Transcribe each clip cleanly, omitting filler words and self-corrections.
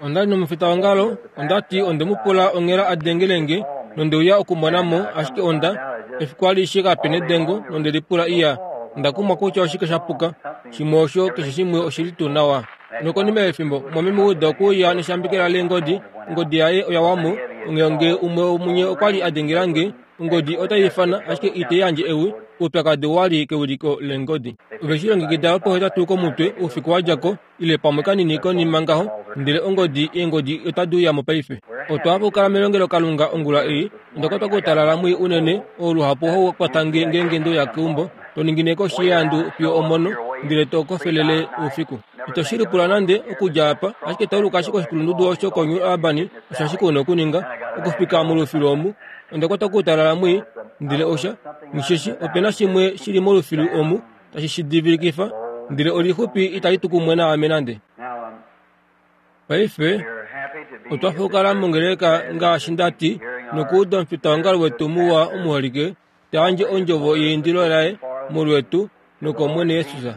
Onda li nomufitaongalo, onda ti onde mu pula onghela a dengele nge, nonde uya okumona mo, ashike onda, efiku alishe kape nedengo, nonde lipula iya, onda kumwa kutya oshike sha puka. Shimwe osho, keshe shimwe oshi li tuu nawa. Nokonima yefimbo, mumwameme Wood okwe uya neshambekela leengodi, ongodi yaye oya wa mo, onghee nge umwe womunye okwa li a dengela nge, ongodi otai ifana, ashike itai yandje ewi, oupyakadi owa li kewiliko leengodi. Ove shi longekida lwopohetatu komutwe oufiku wa dja ko, ile pamwe kanini konima ngaho, ndele ongodi, eengodi otadi uya mo paife. Otwa hafa okukala melongelokalunga ongula ei. Onda kwatwa koutalala mwii unene, oo luhapu hau kwata nge ngeenge nde uya keumbo, to ningine koshi yeandu fiyo omono, ndele to kofelele oufiku. Ito shi lipula nande, okudja apa, ashike tauluka ashike oshikulundudu osho koNew Albany, osho ashike u na okuninga, okufika molufilu omu. Onda kwatwa koutalala mwii, ndele osha, nghisheshi, ope na shimwe shi li molufilu omu, tashi shi divilikifa, ndele olixupi itali tu kumwe naame nande. Paife, otwa fukala mongeleka ngaashi nda ti, nokuuda omufitaongalo wetu muwa omuholike ta yandje ondjovo yeindilo laye molwetu nokOmwene Jesus.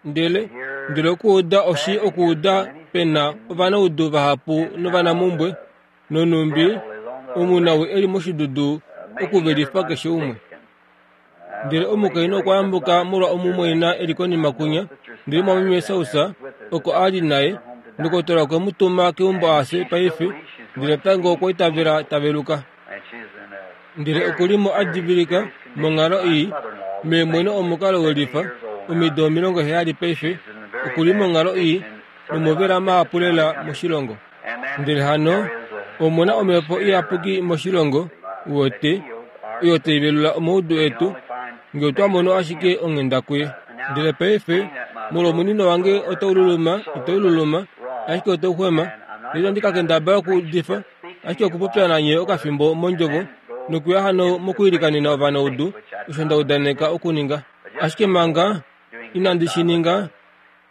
Ndele, ndele okuuda oshi okuuda pe na ovanaudu vahapu novanamumbwe, nonhumbi omunawii e li moshidudu okuvelifa keshe umwe. Ndele omukainhu okwa yambuka molwa omumwaina e li konima kunya, ndele mwameme Sausa oko a li naye. Ndokotola okwe mu tuma keumbo a fye paife, ndele natango okwa itavela ta veluka. Ndele oku li mo a divilika monghalo ii, meemweno omukalo welifa, omido 70 paife, oku li monghalo ii nomovela mahapu lela moshilongo. Ndele hano omu na omhepo iyapuki moshilongo, uwete, oyo tai velula omaudu etu, nge otwa mono ashike onghenda kuye. Ndele paife, molwomunino wange otau luluma, itau luluma, ashike otau xwema, ndele itandi ka kendabala okuudifa, ashike okupopya nanye okafimbo mondjovo, nokuya hano mokuilikanena ovanaudu, osho nda udaneka okuninga. Ashike manga inandi shi ninga,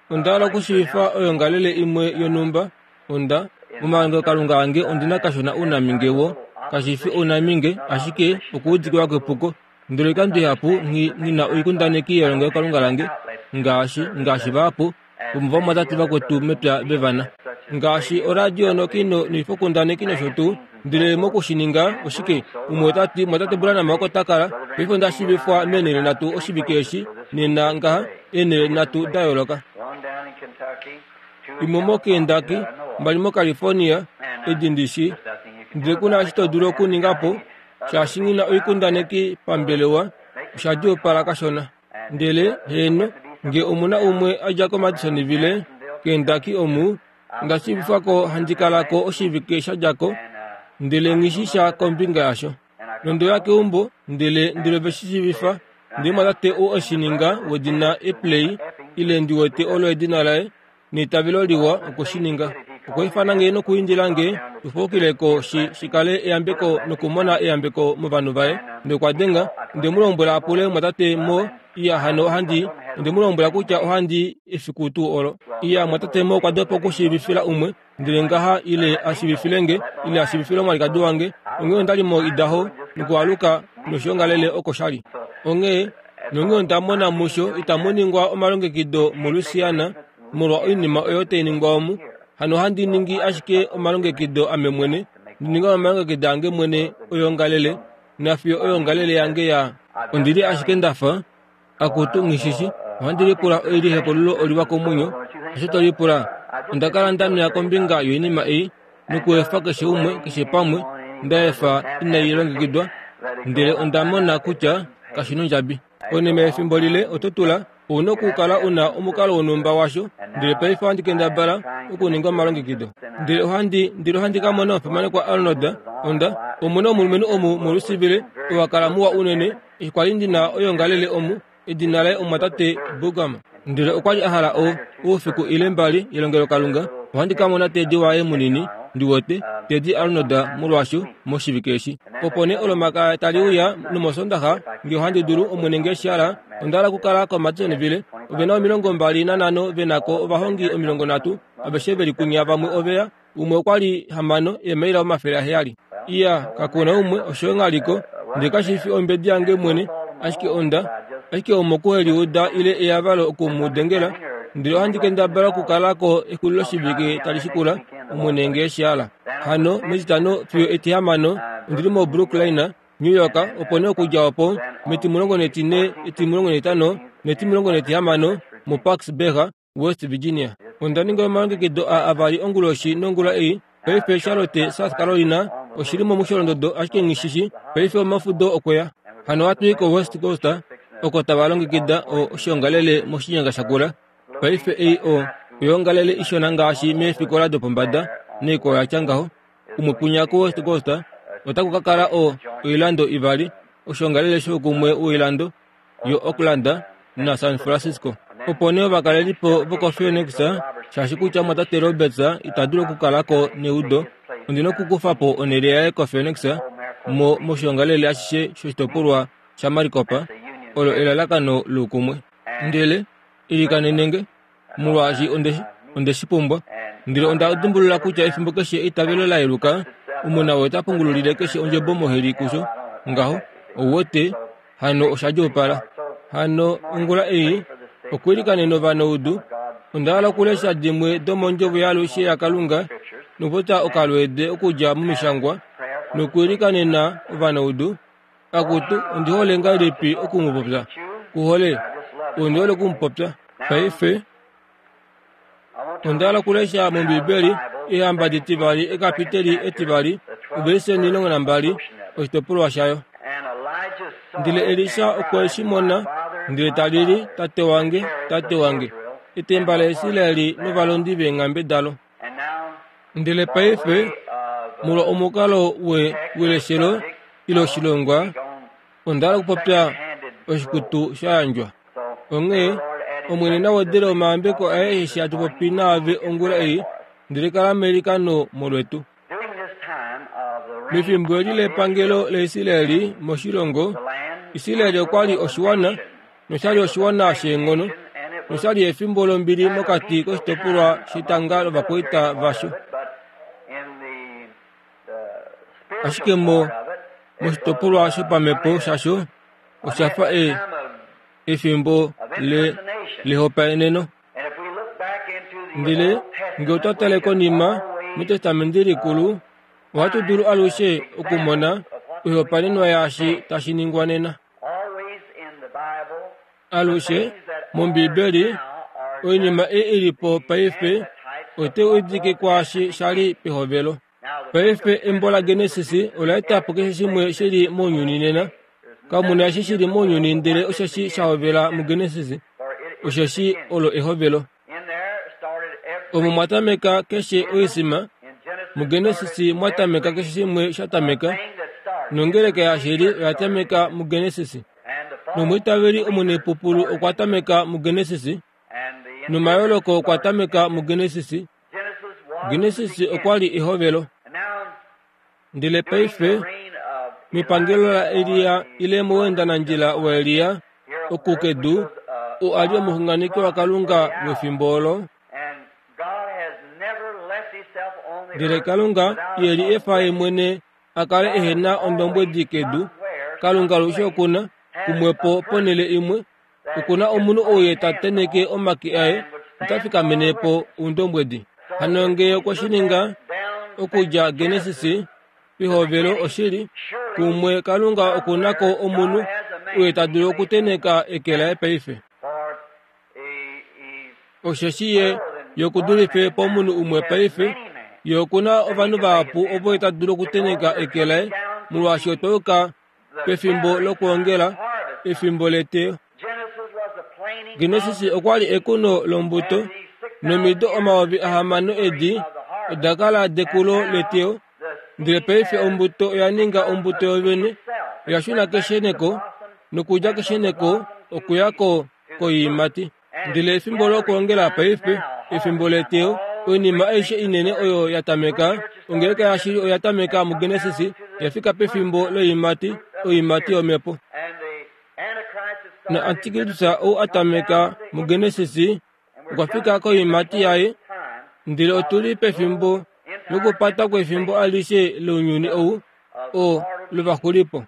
Onda hala okushiivifa oyongalele imwe yonhumba. Onda, momalongelokalunga ange ondi na kashona ounaminge wo, kashi fi ounaminge, ashike okuudikiwa kwepuko. Ndele oikando ihapu nghi, nghi na oikundaneki yelongelokalunga lange, ngaashi, ngaashi vahapu vomovamwatate vakwetu mepya ve va na. Ngaashi oradio nokino noifokundaneki nosho tuu. Ndele moku shi ninga, oshike, umwe ota ti, Mwatate Branham oko ta kala. Paife onda shiivifwa meenhele nhatu oshivike eshi, nena ngaha, eenhele nhatu da yooloka. Imwe moKentucky, mbali moCalifornia, edi ndi shii. Ndele ku na eshi to dulu okuninga po, shaashi nghi na oikundaneki pambelewa, osha djuupala kashona. Ndele, heeno, nge omu na umwe a dja koMadisonville, Kentucky omu, Onda shiivifwa ko handi kala ko oshivike sha dja ko, ndele nghi shi sha kombinga yasho. Nonde uya keumbo, ndele ndele ove shi shiivifa, ndele omwatate ou e shi ninga wedina Epley, ile ndi wete olo edina laye, neitavelo liwa okwe shi ninga. Okwa ifana nge nokuindila nge tu faukile ko shi, shi kale eyambeko nokumona eyambeko movanhu vaye. Nokwa denga, nde mu lombwela a pule omwatate Moore Iya, hano ohandi, onde mu lombwela kutya ohandi efiku tuu olo. Iya, mwatate mo okwa dopa okushiivifila umwe, ndele ngaha, ile a shiivifile nge, ile a shiivifile omwalikadi wange. Onghee onda li moIdaho, nokualuka noshiongalele oko sha li. Onghee, nonghee onda mona musho itamu ningwa omalongekido moLouisiana molwa oinima oyo tai ningwa omu. Hano ohandi ningi ashike omalongekido ame mwene, ndi ninga omalongekido ange mwene oyoongalele, Nafiyo oyoongalele yange ya. Ondi li ashike nda fa, Akutu, nghishishi, ohandi lipula oi li hekululo oliwa komwenyo, osho to lipula? Onda kala nda nweya kombinga yoinima ei, nokuefa keshe umwe, keshe pamwe, nda efa inai longekidwa, ndele onda mona kutya kashi nondjabi. Konima yefimbo lile oto tula, ou na okukala u na omukalo wonhumba washo, ndele paife ohandi kendabala okuninga omalongekido. Ndele ohandi, ndele ohandi ka mona omufimanekwa Arnold, onda, omu na omulumenhu omu muLouisville, oo a kala muwa unene, eshi kwa li ndi na oyoongalele omu, edina laye omumwatate Burgum. Ndele okwa li a hala o, oufiku ile mbali yelongelokalunga, ohandi ka mona Teddy waye munini, ndi wete, Teddy Arnold, molwaasho, moshivike eshi. Opo nee Olomakaya tali uya nomOsoondaxa, nge ohandi dulu, Omwene nge eshi hala, onda hala okukala koMadisonville. Ove na 25 ve na ko ovahongi 30, aveshe ve li kunya vamwe ove ya, umwe okwa li hamano eemaila 700. Iya, kaku na umwe, osho nghaliko, ndele kashi fi ombedi yange mwene, ashike onda, ashike omokuheliuda ile eyavalo oku mu dengela. Ndele ohandi kendabala okukala ko exuliloshivike tali shikula, Omwene nge eshi hala. Hano mEtitano fiyo Etihamano ondi li moBrooklyn, New York, opo nee okudja opo metimulongo netine, etimulongo netitano netimulongo netihamano moParksburg, West Virginia. Onda ninga omalongekido aa avali onguloshi nongula ei. Paife Charlotte, South Carolina oshi li momusholondodo ashike nghi shi shi. Paife omafudo okwe ya. Hano ohatu i koWest Coast oko tava longekida o, oshiongalele moshinyanga shakula. Paife ei o, oyoongalele ishona ngaashi meefikola dopombada naikwao ya tya ngaho. Kumwe kwinya koWest Coast otaku ka kala o, oilando ivali, oshiongalele shoukumwe woilando yo-Oakland naSan Francisco. Opo nee ovakalelipo vokoPhoenix, shaashi kutya omwatate Roberts ita dulu okukala ko neudo, ondi na okukufa po onhele yaye koPhoenix mo moshiongalele ashishe shoshitopolwa shaMaricopa, olo elalakano loukumwe. Ndele ilikanene nge, molwaashi onde, onde shi pumbwa. Ndele onda dimbulula kutya efimbo keshe eitavelo la yeluka, omona oye ta pungululile keshe ondjebo moheli kusho. Ngaho, ou wete, hano osha djuupala. Hano, ongula ei, okwiilikanena ovanaudu, onda hala okulesha dimwe domondjovo yaalushe yaKalunga nokupopya okalweede okudja momishangwa, nokwiilikanena ovanaudu. Akutu, ondi hole ngahelipi oku mu popya. Ku hole? Ondi hole oku mu popya. Paife, onda hala okulesha mOmbibeli Eehamba ditivali ekapiteli etivali ovelise 12 oshitopolwa shayo. Ndele Elisa okwe shi mona, ndele ta lili, Tate wange, tate wange, etemba laIsraeli novalondi veenghambe dalo. Ndele paife, molwa omukalo we weleshelo ile oshilongwa, onda hala okupopya oshikutu sha yandjwa. Onghee, Omwene na wedele omayambeko aye eshi hatu popi naave ongula ei, ndele kala meilikano molwetu. Mefimbo eli lepangelo laIsraeli moshilongo, Israeli okwa li oshiwana noshali oshiwana sheenghono noshali efimbo lombili mokati koshitopolwa shetanga lovakwaita vasho. Ashike mo moshitopolwa shopamhepo shasho osha fa e, efimbo le lehopaeneno. Ndele nge otwa tale konima mEtestamenti Likulu, ohatu dulu alushe okumona oihopaenenwa yaashi tashi ningwa nena. Alushe mOmbiibeli, oinima ei i li po paife otai udike kwaashi sha li pehovelo. Paife embo laGenesis ola eta po keshe shimwe shi li mounyuni nena. Kamu na eshi shi li mounyuni ndele osheshi sha hovela muGenesis, osheshi olo ehovelo. Omo mwa tameka keshe oisima, muGenesis mwa tameka keshe shimwe sha tameka, nongeleka yashili oya tameka muGenesis. Nomwiitaveli omunepupulu okwa tameka muGenesis, nomayooloko okwa tameka muGenesis. Genesis okwa li ehovelo. Ndele paife, mepangelo laElia ile moweendanandjila waElia oku kedu, oo a li omuxunganeki waKalunga wefimbo olo, ndele Kalunga ye li efa ye mwene a kale ehe na ondombwedi kedu. Kalunga alushe oku na, kumwepo ponhele imwe, Oku na omunhu ou ye ta tenheke omake aye ota fikamene po oundombwedi. Hano ngee okwe shi ninga okudja Genesis pehovelo oshili, kumwe Kalunga oku na ko omunhu ou ye ta dulu okutenheka eke laye paife. Osheshi ye ye oku dulife pomunhu umwe paife, ye oku na ovanhu vahapu ovo ye ta dulu okutenheka eke laye, molwaashi otwa yuka pefimbo lokwoongela, efimbo leteyo. Genesis okwa li ekuno lombuto, nomido 6000 edi oda kala dekulo leteyo. Ndele paife ombuto oya ninga ombuto yovene, oya shuna kesheneko, nokudja kesheneko okuya ko koiimati. Ndele efimbo lokwoongela paife, efimbo leteyo, oinima aishe inene oyo ya tameka, ongeleka yashili oya tameka muGenesis, ya fika pefimbo loiimati, oiimati yomhepo. Na Antikristus ou a tameka muGenesis, okwa fika koiimati yaye, ndele otu li pefimbo lokupata kwefimbo alishe lounyuni ou, oo lovaxulipo.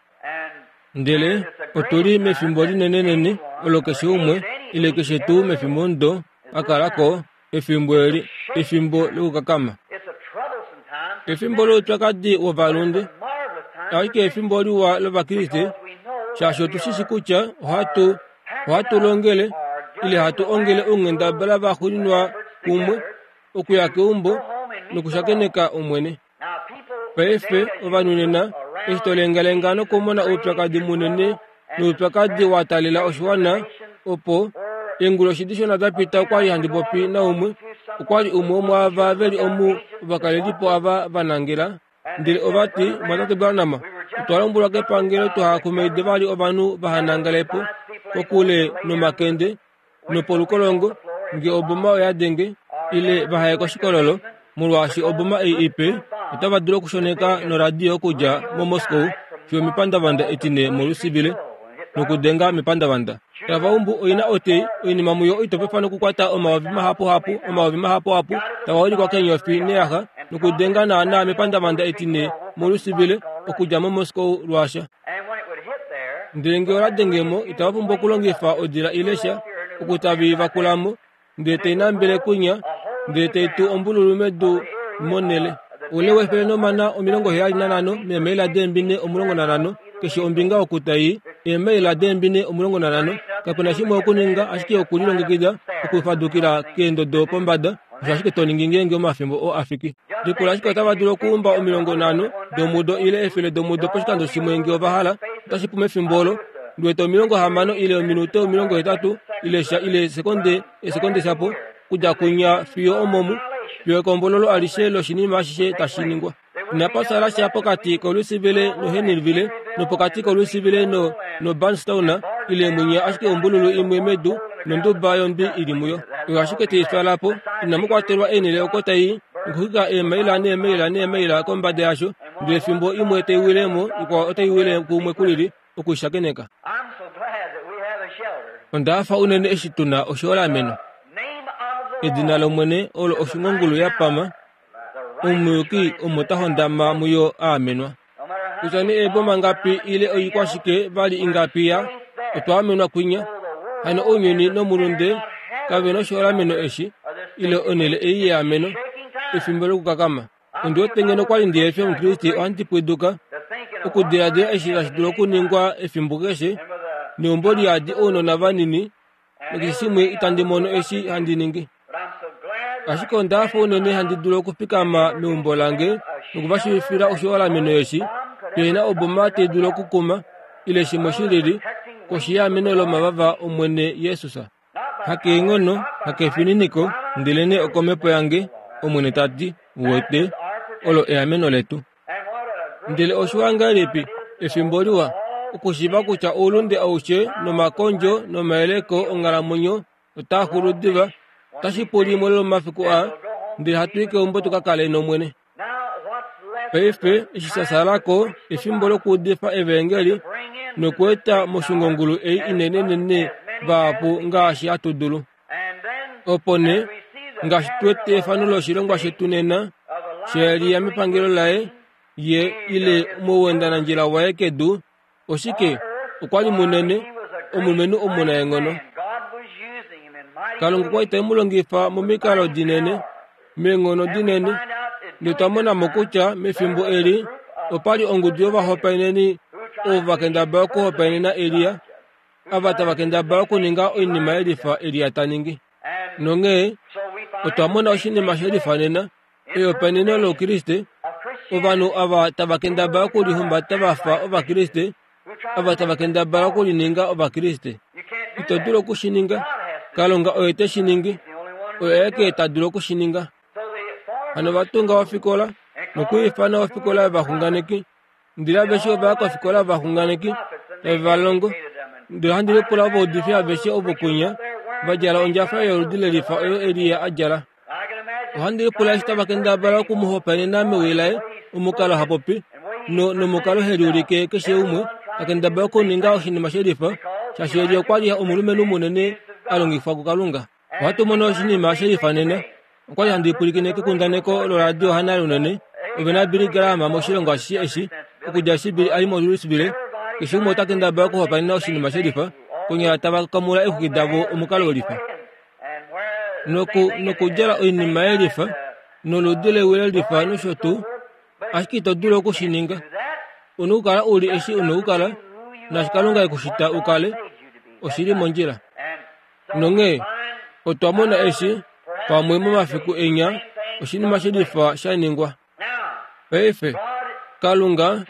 Ndele otu li mefimbo linenenene olo keshe umwe, ile keshe tuu mefimbomudo. a kala ko efimbo eli, efimbo lokukakama. Efimbo loupyakadi wovalunde, ashike efimbo liwa lOvakriste, shaashi otu shi shi kutya ohatu, ohatu longele, ile hatu ongele ounghendabala vaxuuninwa kumwe okuya keumbo nokushakeneka Omwene. Paife, ovanhu nena, eshi to lengalenga nokumona oupyakadi munene noupyakadi wa taalela oshiwana, opo, eenguloshi dishona da pita okwa li handi popi naumwe, okwa li umwe womwaava ve li omu ovakalelipo ava va nangela, ndele ova ti, Mwatate Branham, otwa lombwelwa kepangelo tuha kumaide vali ovanhu vaha nangale po kokule nomakende, nopolukolongo nge oboma oya denge ile vaha ye koshikololo molwaashi oboma ei ipe otava dulu okushoneka noradio okudja moMoscow fiyo mepandavanda etine moLusivile nokudenga mepandavanda. Tava umbu oina otei oinima muyo oitopefa nokukwata omayovi mahapuhapu omayovi mahapuhapu tava ulikwa keenyofi neyaxa nokudenga naanaa mepandavanda etine moLusivile okudja moMoscow lwaasha. Ndele nge ola denge mo, itava pumbwa okulongifa odila ile sha, oku tave i vakula mo, ndele tai nambele kwinya, ndele tai tu ombululu medu monhele. Oule wefele nomana 75 meemaila deembine 15, keshe ombinga oku tai i, eemaila deembine 15. Kape na shimwe okuninga ashike okulilongekida okufadukila keendodo pombada. Osho ashike to ningi ngeenge omafimbo oo a fiki. Lipula ashike otava dulu okuumba 50 domudo ile 100 domudo poshikando shimwe nge ova hala. Otashi pu mefimbo olo. Ndi wete 60 ile ominute 80 ile sha ile esekonde, esekonde shapo, kudja kunya fiyo omomu, fiyo ekombololo alishe loshinima ashishe tashi ningwa. Inapa sala sha pokati koLouisville noHenryville, nopokati koLouisville no, noBarnstown, ile mwinya ashike ombululu imwe medu nonduba yondwi i li muyo. Oyo ashike tai twala po. Inamu kwatelwa eenhele oko tai i, nokuxwika eemaila neemaila neemaila kombada yasho, ndele fimbo imwe tai wile mo, ikwao otai wile kumwe kulili, oku i shakeneka. Onda hafa unene eshi tu na oshiholameno. Edina lOmwene olo oshungongulu ya pama. Omuyuki omo ta hondama muyo a amenwa. Kutya nee eeboma ngapi ile oikwashike vali ingapi ya, otwa amenwa kwinya. Hano ounyuni nomulunde kave noshiholameno eshi, ile onhele ei yeameno, efimbo lokukakama. Ondi wete ngeno kwa li ndi efi Omukriste ohandi pwiduka okudiladila eshi tashi dulu okuningwa efimbo keshe, neumbo liyadi ounona vanini, nokeshe shimwe itandi mono eshi handi ningi. Ashike onda hafa unene handi dulu okufikama meumbo lange noku va shiivifila oshiholameno eshi, pehe na oboma tai dulu okukuma, ile shimwe shi lili, koshi yeameno lomavava Omwene Jesus. Hakeenghono, hakefininiko, ndelenee okomhepo yange, Omwene ta ti, uwete, olo eameno letu. Ndele oshiwa ngahelipi, efimbo liwa, okushiiva kutya oulunde aushe nomakondjo nomayeleko onghalamwenyo otaa xulu diva, otashi pu limwe lomomafiku aa, ndele hatu i keumbo tu ka kale nOmwene. Paife, eshi sha sala ko, efimbo lokuudifa Evaengeli nokueta moshungongulu ei inenenene vahapu ngaashi hatu dulu. Opo nee, ngaashi tu wete efano loshilongwa shetu nena, shaElia mepangelo laye, ye ile mouendanandjila waye kedu, Oshike? Okwa li munene, omulumenhu omunaenghono. Kalunga okwa li te mu longifa momikalo dinene, meenghono dinene. Ndele twa mona mo kutya mefimbo eli opa li ongudu yovahopaeneni ovo va kendabala okuhopaenena Elia, ava tava kendabala okuninga oinima ye lifa Elia ta ningi. Nonghee otwa mona oshinima she lifa nena, Ehopaeneno lOukriste, ovanhu ava tava kendabala okulihumbata va fa Ovakriste, ava tava kendabala okulininga Ovakriste. Ito dulu oku shi ninga. Kalunga oye te shi ningi. Oye aeke ta dulu oku shi ninga. Hano va tunga ofikola, nokuifana ofikola yovaxunganeki. Ndele aveshe ova ya kofikola yovaxunganeki, tave va longo. Ndele ohandi lipula ovaudifi aveshe ovo kwinya va djala ondjafa yoludi lelifa oyo Elia a djala. Ohandi lipula eshi tava kendabala oku mu hopaenena mewi laye, omukalo ha popi, no, nomukalo he liulike keshe umwe, ta kendabala okuninga oshinima she lifa, shaashi Elia okwa li omulumenhu munene a longifwa kuKalunga. Ohatu mono oshinima she lifa nena. Okwa li handi pwilikine kekundaneko loradio hanale unene, ove naBilly Graham moshilongo ashishe eshi, okudja eshi Billy a li moLouisville, keshe umwe ota kendabala okuhopaenena oshinima she lifa, konyala tava kamula eexwiki davo omukalo welifa. Noku, nokudjala oinima yelifa, noludi lewi lelifa nosho tuu, ashike ito dulu oku shi ninga. U na okukala u li eshi u na okukala, naashi Kalunga e ku shita u kale, oshi li mondjila. Nonghee otwa mona eshi, pamwe momafiku enya, oshinima shelifa sha ningwa. Paife, Kalunga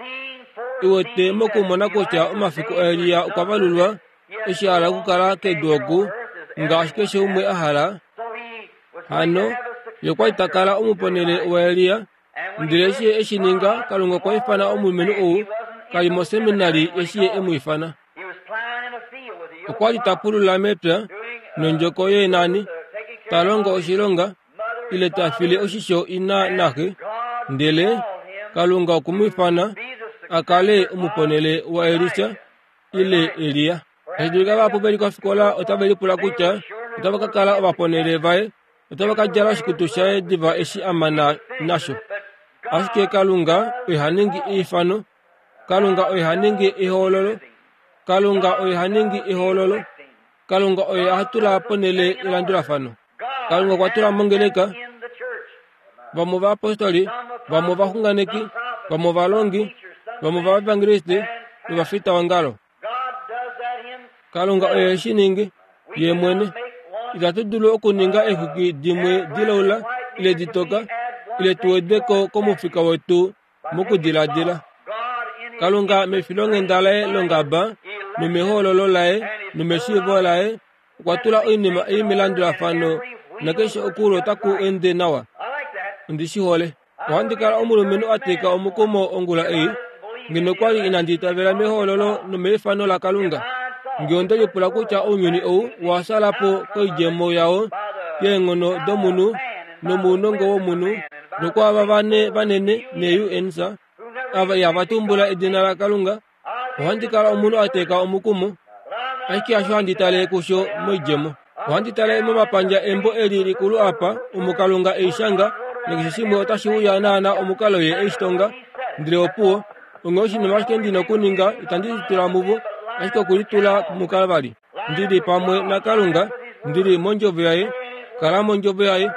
e wete mokumona kutya omafiku aElia okwa valulwa eshi a hala okukala kedu oku ngaashi keshe umwe a hala. Hano, ye okwa li ta kala omuponele waElia. Ndele eshi ye e shi ninga, Kalunga okwa ifana omulumenhu ou, ka li moseminari eshi ye e mu ifana. Okwa li ta pulula mepya nondjoko yeenani, ta longo oshilonga, ile ta file oshisho ina naxe, ndele Kalunga okwe mu ifana a kale omuponele waElisa ile Elia. Tashi dulika vahapu ve li kofikola otave lipula kutya otava ka kala ovaponele vaye, otava ka djala oshikutu shaye diva eshi a mana nasho. Ashike Kalunga oye ha ningi eifano, Kalunga oye ha ningi ehoololo, Kalunga oye ha ningi ehoololo, Kalunga oye ha tula ponhele elandulafano. Kalunga okwa tula mongeleka vamwe ovaapostoli, vamwe ovaxunganeki, vamwe ovalongi, vamwe ovaevangeliste novafitaongalo. Kalunga oye shi ningi ye mwene. Itatu dulu okuninga eexwiki dimwe dilaula ile ditoka ile tu wede ko komufika wetu mokudiladila. Kalunga mefilonghenda laye longaba nomehoololo laye nomeshiivo laye okwa tula oinima ei melandulafano nakeshe okulo otaku ende nawa. Ondi shi hole. Ohandi kala omulumenhu a teka omukumo ongula ei, ngeno kwa li inandi itavela mehoololo nomeifano laKalunga. Nge onde lipula kutya ounyuni ou owa sala po koidjemo yao yeenghono domunhu nomounongo womunhu, nokwaava vane vanene neUNs, ava ihava tumbula edina laKalunga, Ohandi kala omunhu a teka omukumo, ashike hasho handi tale kusho moidjemo. Ohandi tale momapandja embo eli likulu apa, omo Kalunga e i shanga, nakeshe shimwe otashi uya naana omukalo ye e shi tonga. Ndele opuwo, onghee oshinima ashike ndi na okuninga, itandi litula muvo, ashike okulitula muKalvari. Ndi li pamwe naKalunga, ndi li mondjovo yaye, kala mondjovo yaye.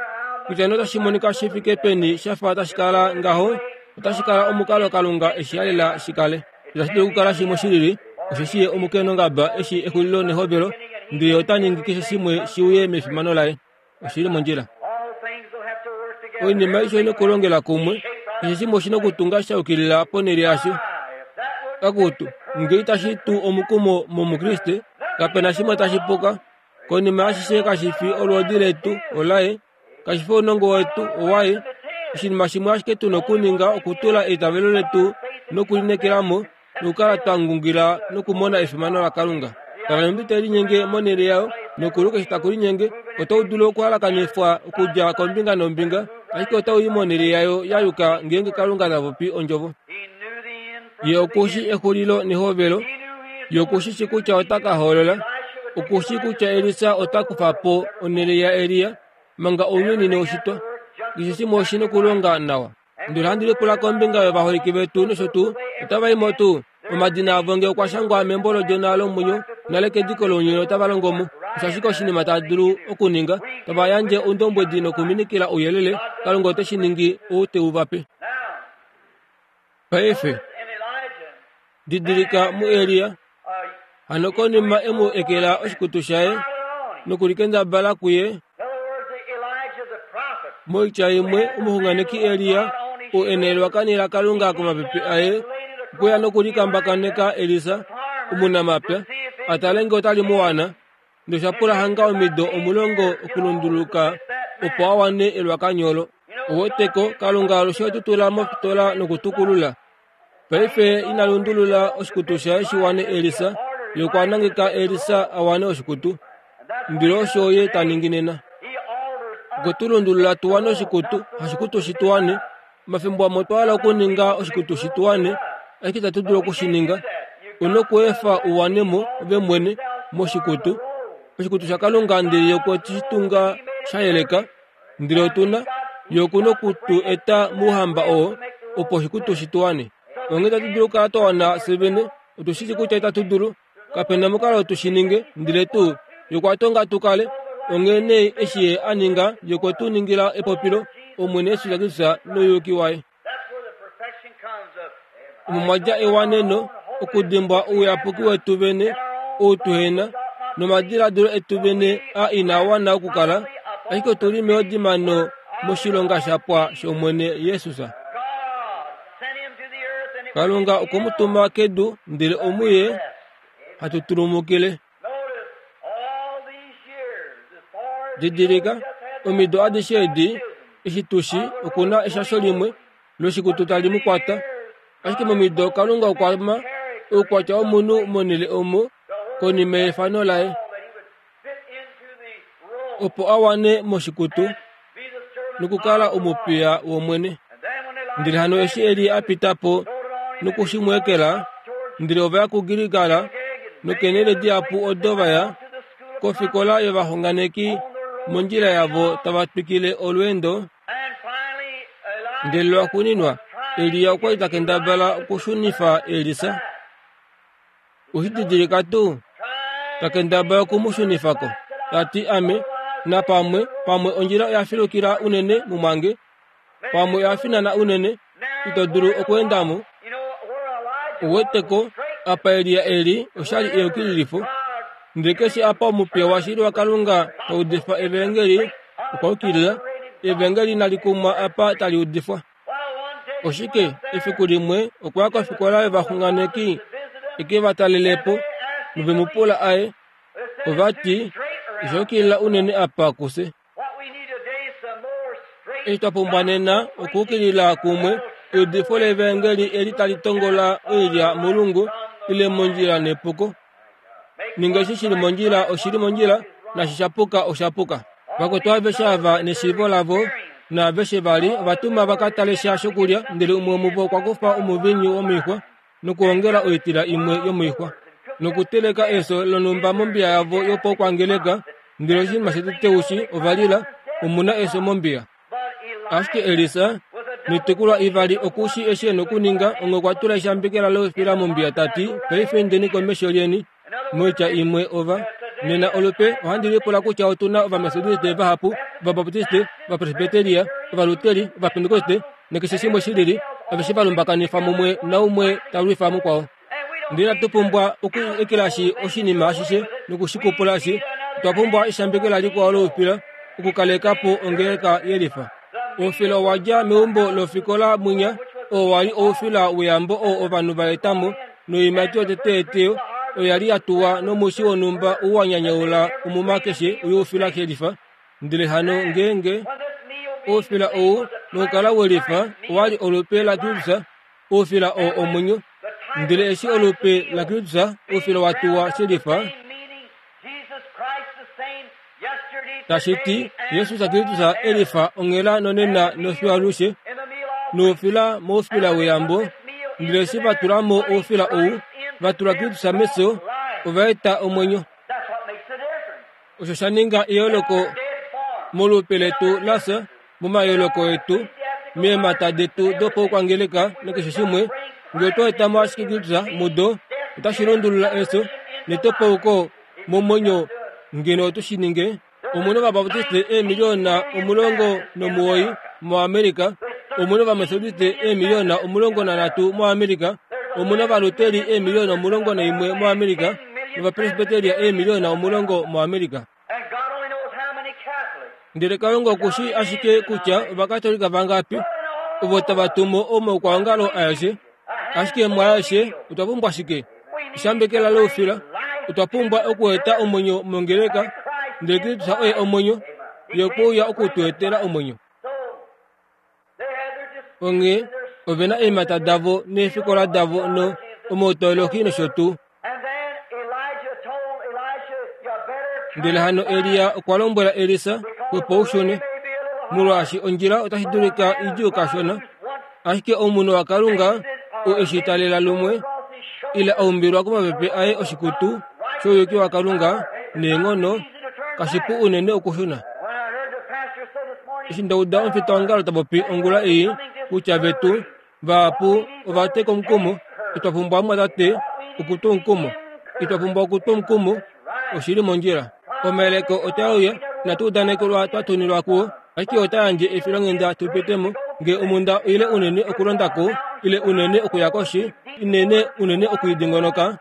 Kutya nee otashi monika shi fike peni sha fa tashi kala ngaho, otashi kala omukalo Kalunga e shi halela shi kale. Itashi dulu okukala shimwe shi lili, osheshi ye omukenongaba eshi exulilo nehovelo, ndele ota ningi keshe shimwe shi uye mefimano laye. Oshi li mondjila. Oinima aishe oi okulongela kumwe, keshe shimwe oshi na okutunga sha yukilila ponhele yasho. Akutu, nge itashi tu omukumo mOmukriste, kape na shimwe tashi puka. Konima yashishe kashi fi olwoodi letu, olaye. Kashi fi ounongo wetu, owaye. Oshinima shimwe ashike tu na okuninga okutula eitavelo letu nokulineekela mo, nokukala twa ngungila nokumona efimano laKalunga. Kala nombi tai linyenge monhele yayo, nokulu keshe taku linyenge, otau dulu okuhalakanifwa okudja kombinga nombinga, ashike otau i monhele yayo ya yuka ngeenge Kalunga ta popi ondjovo. Ye oku shi exulilo nehovelo. Ye oku shi shi kutya ota ka hoolola. Oku shi kutya Elisa ota kufa po onhele yaElia manga ounyuni neushitwa. Keshe shimwe oshi nokulonga nawa. Ndele ohandi lipula kombinga yovaholike vetu nosho tuu, otava i mo tuu? Omadina avo nge okwa shangwa membo lOdjona lomwenyo nale kediko lounyuni otava longo mo. Osho ashike oshinima tava dulu okuninga, tava yandje oundombwedi nokuminikila ouyelele, Kalunga ote shi ningi ou te u va pe. Paife, didilika muElia, hano konima e mu ekela oshikutu shaye nokulikendabala kuye, moitya imwe omuxunganeki Elia ou e na elwakani laKalunga komapepe aye okweya nokulikambakaneka Elisa omunamapya a tale nge otali mu wana. Nosha pula hanga omido omulongo okulunduluka opo a wane elwakanyo olo. Oweteko, Kalunga alushe otu tula mofitola nokutukulula. Paife ina lundulula oshikutu shaye shi wane Elisa, ye okwa nangeka Elisa a wane oshikutu. Ndele osho ye ta ningi nena. Okwe tu lundulula tu wane oshikutu, hashikutu shi tu wane. Omafimbo amwe otwa hala okuninga oshikutu shi tu wane, ashike itatu dulu oku shi ninga. U nokuefa u wane mo, ove mwene, moshikutu. Oshikutu shaKalunga ndele ye okwe shi tunga sha yeleka. Ndele otu na yo oku noku tu eta mouhamba oo, opo oshikutu shi tu wane. Onghee itatu dulu okukala twa wana fye vene. Otu shi shii kutya itatu dulu. Kape na omukalo tu shi ninge, ndele tuu Ye okwa tonga tu kale. Onghee nee eshi Ye a ninga, Ye okwe tu ningila epopilo, Omwene Jesus Kristus nouyuki waye. Omo mwa dja ewaneno okudimbwa ouyapuki wetu vene ou tuhe na, nomadiladilo etu vene a inaa wana okukala, ashike otu li meodimano moshilonga sha pwa shOmwene Jesus. Kalunga okwe mu tuma kedu, ndele omuye hatu tulumukile. Didilika, omido adishe edi, eshi tu shi, oku na eshasho limwe loshikutu tali mu kwata. Ashike momido Kalunga okwa ma oukwatya womunhu monhele omo konima yefano laye, opo a wane moshikutu nokukala omupiya wOmwene. Ndele hano eshi Elia a pita po noku shi mu ekela, ndele ova ya kuGilgal nokeenhele dihapu odo va ya kofikola yovaxunganeki mondjila yavo tava twikile olweendo. Ndele lwaxuuninwa Elia okwa li ta kendabala okushunifa Elisa. Oshi didilika tuu? Ta kendabala oku mu shunifa ko. Ta ti, Ame, napamwe, pamwe ondjila oya filukila unene mumwange, pamwe oya finana unene, ito dulu okweenda mo. Uwete ko, apa Elia e li, oshali eyukililifo. Ndele keshe apa omupiya washili waKalunga ta udifa Evangeli, okwa yukilila. Evangeli inali kumwa apa tali udifwa. Oshike, efiku limwe okwa ya kofikola yovaxunganeki e ke va talele po, nove mu pula aye. Ova ti, Osha yukilila unene apa kufye. Eshi twa pumbwa nena okuukilila kumwe eudifo levangeli eli tali tongola oilya molungu ile mondjila nepuko. Ninga eshi shi li mondjila oshi li mondjila nashi sha puka osha puka. Vakwetu aveshe ava neshiivo lavo naaveshe vali ova tuma va ka tale sha shokulya, ndele umwe womuvo okwa kufa omuviinyu womoixwa nokuongela oitila imwe yomoixwa nokuteleka eso lonhumba mombiya yavo yopaukwangeleka, ndele oshinima shotete ushi ova lila, omu na eso mombiya. Ashike Elisa noitukulwa ivali oku shi eshi e na okuninga, onghee okwa tula eshambekela loufila mombiya ta ti, Paife indeni komesho lyeni. Moitya imwe ova nena olupe ohandi lipula kutya otu na Ovametodiste vahapu, Ovabaptiste, Ovapresbiteria, Ovaluteri, Ovapentekoste nakeshe shimwe shi lili, aveshe va lumbakanifwa mumwe naumwe ta lwifa mukwao. Ndele inatu pumbwa oku ekelashi oshinima ashishe noku shi kupulashi. Otwa pumbwa eshambekela likwao loufila okukaleka po ongeleka yelifa. Oufila owa dja meumbo lofikola mwinya, oo wa li oufila weyambo oo ovanhu va eta mo, noiimati yotete yeteyo oya li ya tuwa nomushi wonhumba u wa nyanyaula omuma keshe youfila kelifa. Ndele hano ngeenge oufila ou nokukala welifa owa li olupe laKristus, oufila oo omwenyo. Ndele eshi olupe laKristus oufila wa tuwa shelifa, tashi ti Jesus Kristus e lifa onghela nonena nofiyo alushe, noufila moufila weyambo. Ndele eshi va tula mo oufila ou, va tula Kristus mefyo, ova eta omwenyo. Osho sha ninga eyooloko molupe letu la fya, momayooloko etu, meemhata detu dopaukwangeleka nakeshe shimwe. Ngee otwa eta mo ashike Kristus mudo, otashi lundulula efyo netopauko momwenyo ngeno otu shi ninge. Omu na Ovabaptiste eemiliona 19 moAmerica, omu na Ovametodiste eemiliona 13 moAmerica, omu na Ovaluteri eemiliona 11 moAmerica, nOvapresbiteria eemiliona 10 moAmerica. Ndele Kalunga oku shii ashike kutya Ovakatolika vangapi ovo tava tumu omaukwaongalo aeshe. Ashike mwaaeshe otwa pumbwa shike? Eshambekela loufila. Otwa pumbwa okueta omwenyo mongeleka, ndele Kristus oye omwenyo. Ye okwe uya oku tu etela omwenyo. Onghee ove na eemhata davo neefikola davo no omautoloki nosho tuu. Ndele hano Elia okwa lombwela Elisa, Xwepo u shune, molwaashi ondjila otashi dulika idjuu kashona. Ashike omunhu waKalunga oo e shi talela lumwe ile a umbilwa komapepe aye oshikutu shouyuki waKalunga neenghono, kashipu unene okushuna. Eshi nda uda omufitaongalo ta popi ongula ei kutya vetu vahapu ova teka omukumo, itwa pumbwa omumwatate okutwa omukumo. Itwa pumbwa okutwa omukumo, oshi li mondjila. Omayeleko otae uya. Inatu udanekelwa twa tunilwa kuo, ashike ota yandje efilonghenda tu pite mo. Nge omhunda oile unene okulonda ko, ile unene okuya koshi, inene unene oku i dingonoka,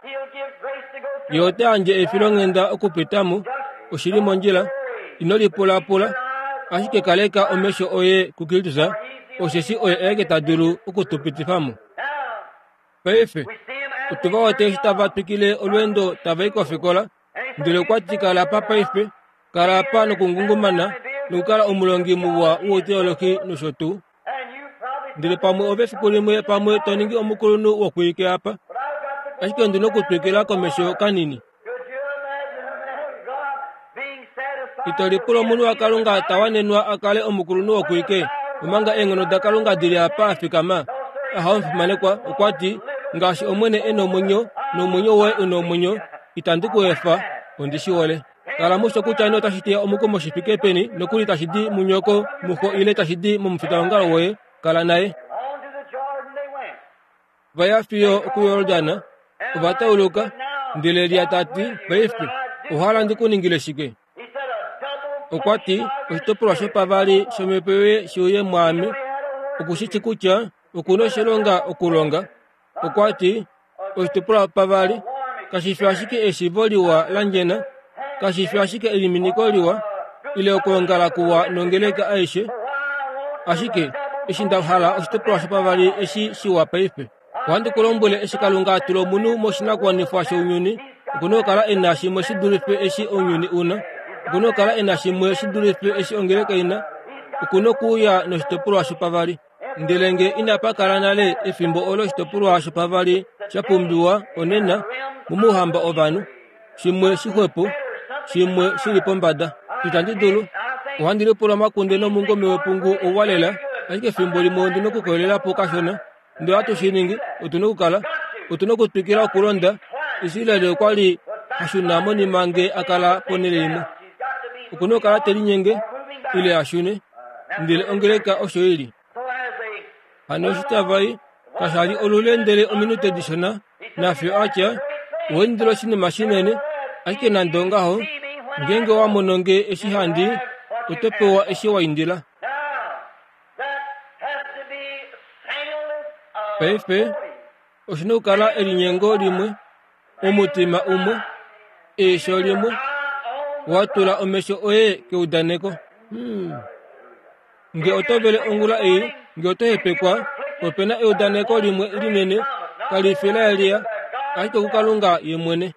Ye ota yandje efilonghenda okupita mo. Oshi li mondjila. Ino lipulapula, ashike kaleka omesho oye kuKristus, osheshi oye aeke ta dulu oku tu pitifa mo. Paife, otu va wete eshi tava twikile olweendo tava i kofikola, ndele okwa ti kala apa paife, kala apa nokungungumana nokukala omulongi muwa wouteolohi nosho tuu. Ndele pamwe ove efiku limwe pamwe to ningi omukulunhu wokwiike apa. Ashike ondi nokutwikila komesho kanini. Ito lipula omunhu waKalunga ta wanenwa a kale omukulunhu wokwiike, omanga eenghono daKalunga di li apa a fikama? Aha, omufimanekwa, okwa ti, Ngaashi Omwene e nomwenyo, nomwenyo woye u nomwenyo, itandi ku efa. Ondi shi hole. Kala musho kutya nee otashi teya omukumo shi fike peni, nokuli tashi di munyoko, muxo ile tashi di momufitaongalo woye, kala naye. Va ya fiyo okuYordan, ova tauluka, ndele Elia ta ti, Paife, owa hala ndi ku ningile shike? Okwa ti, Oshitopolwa shopavali shomhepo yoye shi uye mwaame. Oku shi shi kutya oku na oshilonga okulonga. Okwa ti, Oshitopolwa shopavali kashi fi ashike eshiivo liwa la ndjena, kashi fi ashike eliminiko liwa, ile okwoongala kuwa nongeleka aishe, ashike eshi nda hala oshitopolwa shopavali eshi shiwa paife. Ohandi ku lombwele eshi Kalunga a tula omunhu moshinakuwanifwa shounyuni, oku na okukala e na shimwe shi dulife eshi ounyuni u na. Oku na okukala e na shimwe shi dulife eshi ongeleka i na. Oku na okuuya noshitopolwa shopavali. Ndele nge inapa kala nale efimbo olo oshitopolwa shopavali sha pumbiwa onena momouhamba ovanhu, shimwe shixwepo, shimwe shi li pombada. Itandi dulu. Ohandi lipula omakunde nomungome wepungu ouwa lela, ashike efimbo limwe ondi na okukoyelela po kashona. Ndele ohatu shi ningi, otu na okukala, otu na okutwikila okulonda. Israel okwa li ha shuna monima nge a kala ponhele imwe. Oku na okukala te linyenge ile a shune. Ndele ongeleka osho i li. Hano eshi tava i, kasha li olule ndele ominute dishona, nafiyo a tya, Owa indila oshinima shinene, ashike nande ongaho, ngeenge owa mono nge eshi handi, oto pewa eshi wa indila. Paife, oshi na okukala elinyengo limwe, omutima umwe, eisho limwe, wa tula omesho oye keudaneko. Hmm. Nge oto vele ongula ei, nge oto hepekwa, ope na eudaneko limwe linene, kali fi laElia, ashike kuKalunga ye mwene.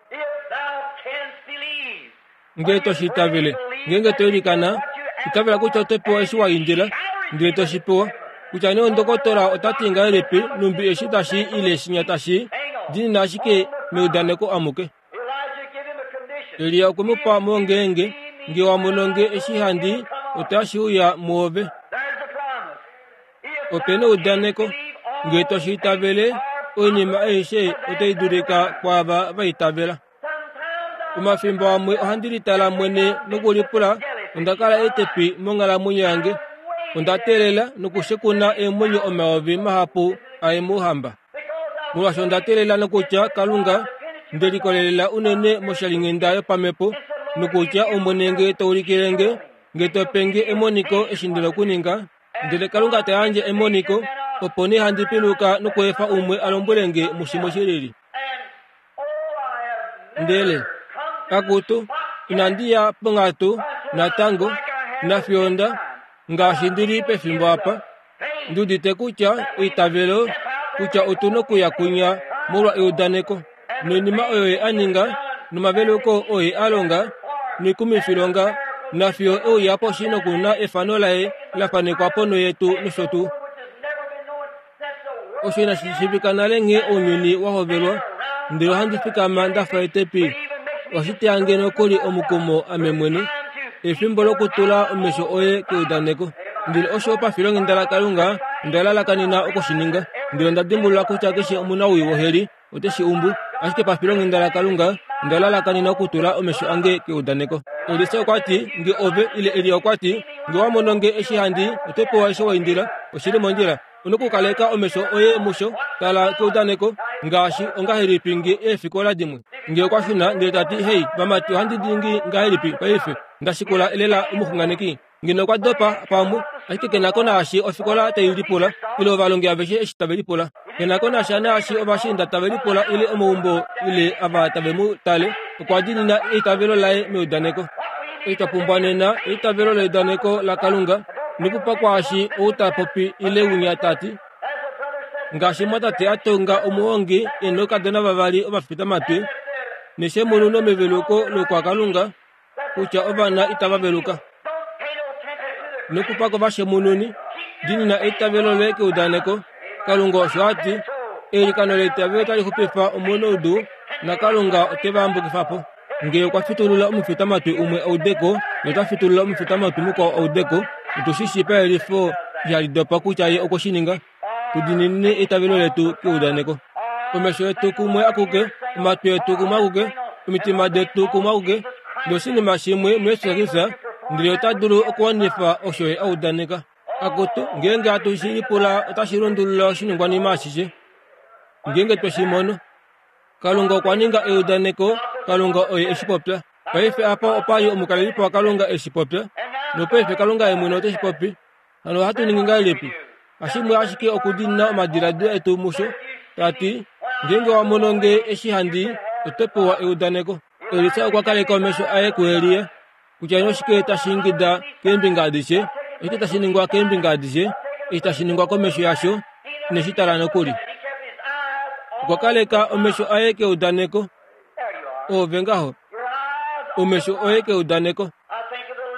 Nge to shi itavele, ngeenge to ilikana, itavela kutya oto pewa eshi wa indila, ndele to shi pewa. Kutya nee ondokotola ota ti ngahelipi, numbi eshi tashi ile shinya tashi, diinina ashike meudaneko amuke. Elia okwe mu pa mo ngeenge, nge wa mono nge eshi handi, otashi uya muove. Ope na eudaneko, nge to shi itavele, oinima aishe otai dulika kwaava va itavela. Omafimbo amwe ohandi litala mwene nokulipula onda kala etepi monghalamwenyo yange. Onda teelela nokushekuna eemwenyo omayovi mahapu aye mouhamba. Molwaashi onda teelela nokutya Kalunga nde likolelela unene moshalinghenda yopamhepo nokutya Omwene nge to ulikile nge, nge to pe nge emoniko eshi ndi na okuninga, ndele Kalunga ta yandje emoniko, opo nee handi piluka nokweefa umwe a lombwele nge mushimwe shi lili. Ndele, akutu, inandi ya ponghatu natango, nafiyo nda, ngaashi ndi li pefimbo apa, ndi udite kutya eitavelo kutya otu nokuya kwinya molwa eudaneko noinima oyo ye a ninga nomaveluko oo ye a longa noikumifilonga nafiyo e uya poshi noku na efano laye la fanekwa ponho yetu nosho tuu. Osho inashi shiivika nale nghee ounyuni wa hovelwa, ndele ohandi fikama nda fa etepi. Ohashi teya nge nokuli omukumo ame mwene. Efimbo lokutula omesho oye keudaneko. Ndele osho pafilonghenda laKalunga onda lalakanena oku shi ninga. Ndele onda dimbulula kutya keshe omunawii woheli ote shi umbu, ashike pafilonghenda laKalunga onda lalakanena okutula omesho ange keudaneko. Elisa okwa ti, Nge ove, ile Elia okwa ti, Nge wa mono nge eshi handi, oto pewa eshi wa indila. Oshi li mondjila. U nokukaleka omesho oye musho. Tala keudaneko. Ngaashi ongahelipi nge eefikola dimwe? Nge okwa shuna ndele ta ti, Hei, vamati, ohandi ningi ngahelipi paife? Nda shikula elela omuxunganeki. Ngeno okwa dopa pamwe, ashike ke na ko naashi ofikola tai lipula, ile ovalongi aveshe eshi tave lipula. Ke na ko nasha naashi ovashiinda tave lipula ile omaumbo ile ava tave mu tale. Okwa diinina eitavelo laye meudaneko. Eshi twa pumbwa nena eitavelo leudaneko laKalunga, nokupa kwaashi ou ta popi ile winya ta ti, Ngaashi mwatate a tonga omuhongi e noukadona vavali ovafitamatwi, neshemunu nomeveluko lokwaKalunga, kutya ovana itava veluka. Nokupa kovashemununi, diinina eitavelo loye keudaneko. Kalunga osho a ti, eilikano leitavelo otali xupifa omunaudu, naKalunga ote va yambukifa po. Ngee okwa fitulula omufitamatwi umwe audeko, ye ota fitulula omufitamatwi mukwao audeko, otu shi shii payelifo ihali dopa kutya ye okwe shi ninga. Tu diininine eitavelo letu keudaneko. Omesho etu kumwe akuke, omatwi etu kumwe akuke, omitima detu kumwe akuke, noshinima shimwe muJesus Kristus, ndele ota dulu okuwanifa osho ye a udaneka. Akutu, ngeenge hatu shi lipula otashi lundulula oshiningwanima ashishe. Ngeenge twe shi mono. Kalunga okwa ninga eudaneko, Kalunga oye e shi popya. Paife apa opa li omukalelipo waKalunga e shi popya, nopaife Kalunga ye mwene ote shi popi. Hano ohatu ningi ngahelipi? Hashimwe ashike okudiinina omadiladilo etu musho, ta ti, Ngeenge wa mono nge eshi handi i, oto pewa eudaneko. Elisa okwa kaleka omesho aye kuElia, kutya noshike tashi ingida keembinga adishe, oshike tashi ningwa keembinga adishe, eshi tashi ningwa komesho yasho, ine shi tala nokuli. Okwa kaleka omesho aye keudaneko. Oove ngaho, omesho oye keudaneko.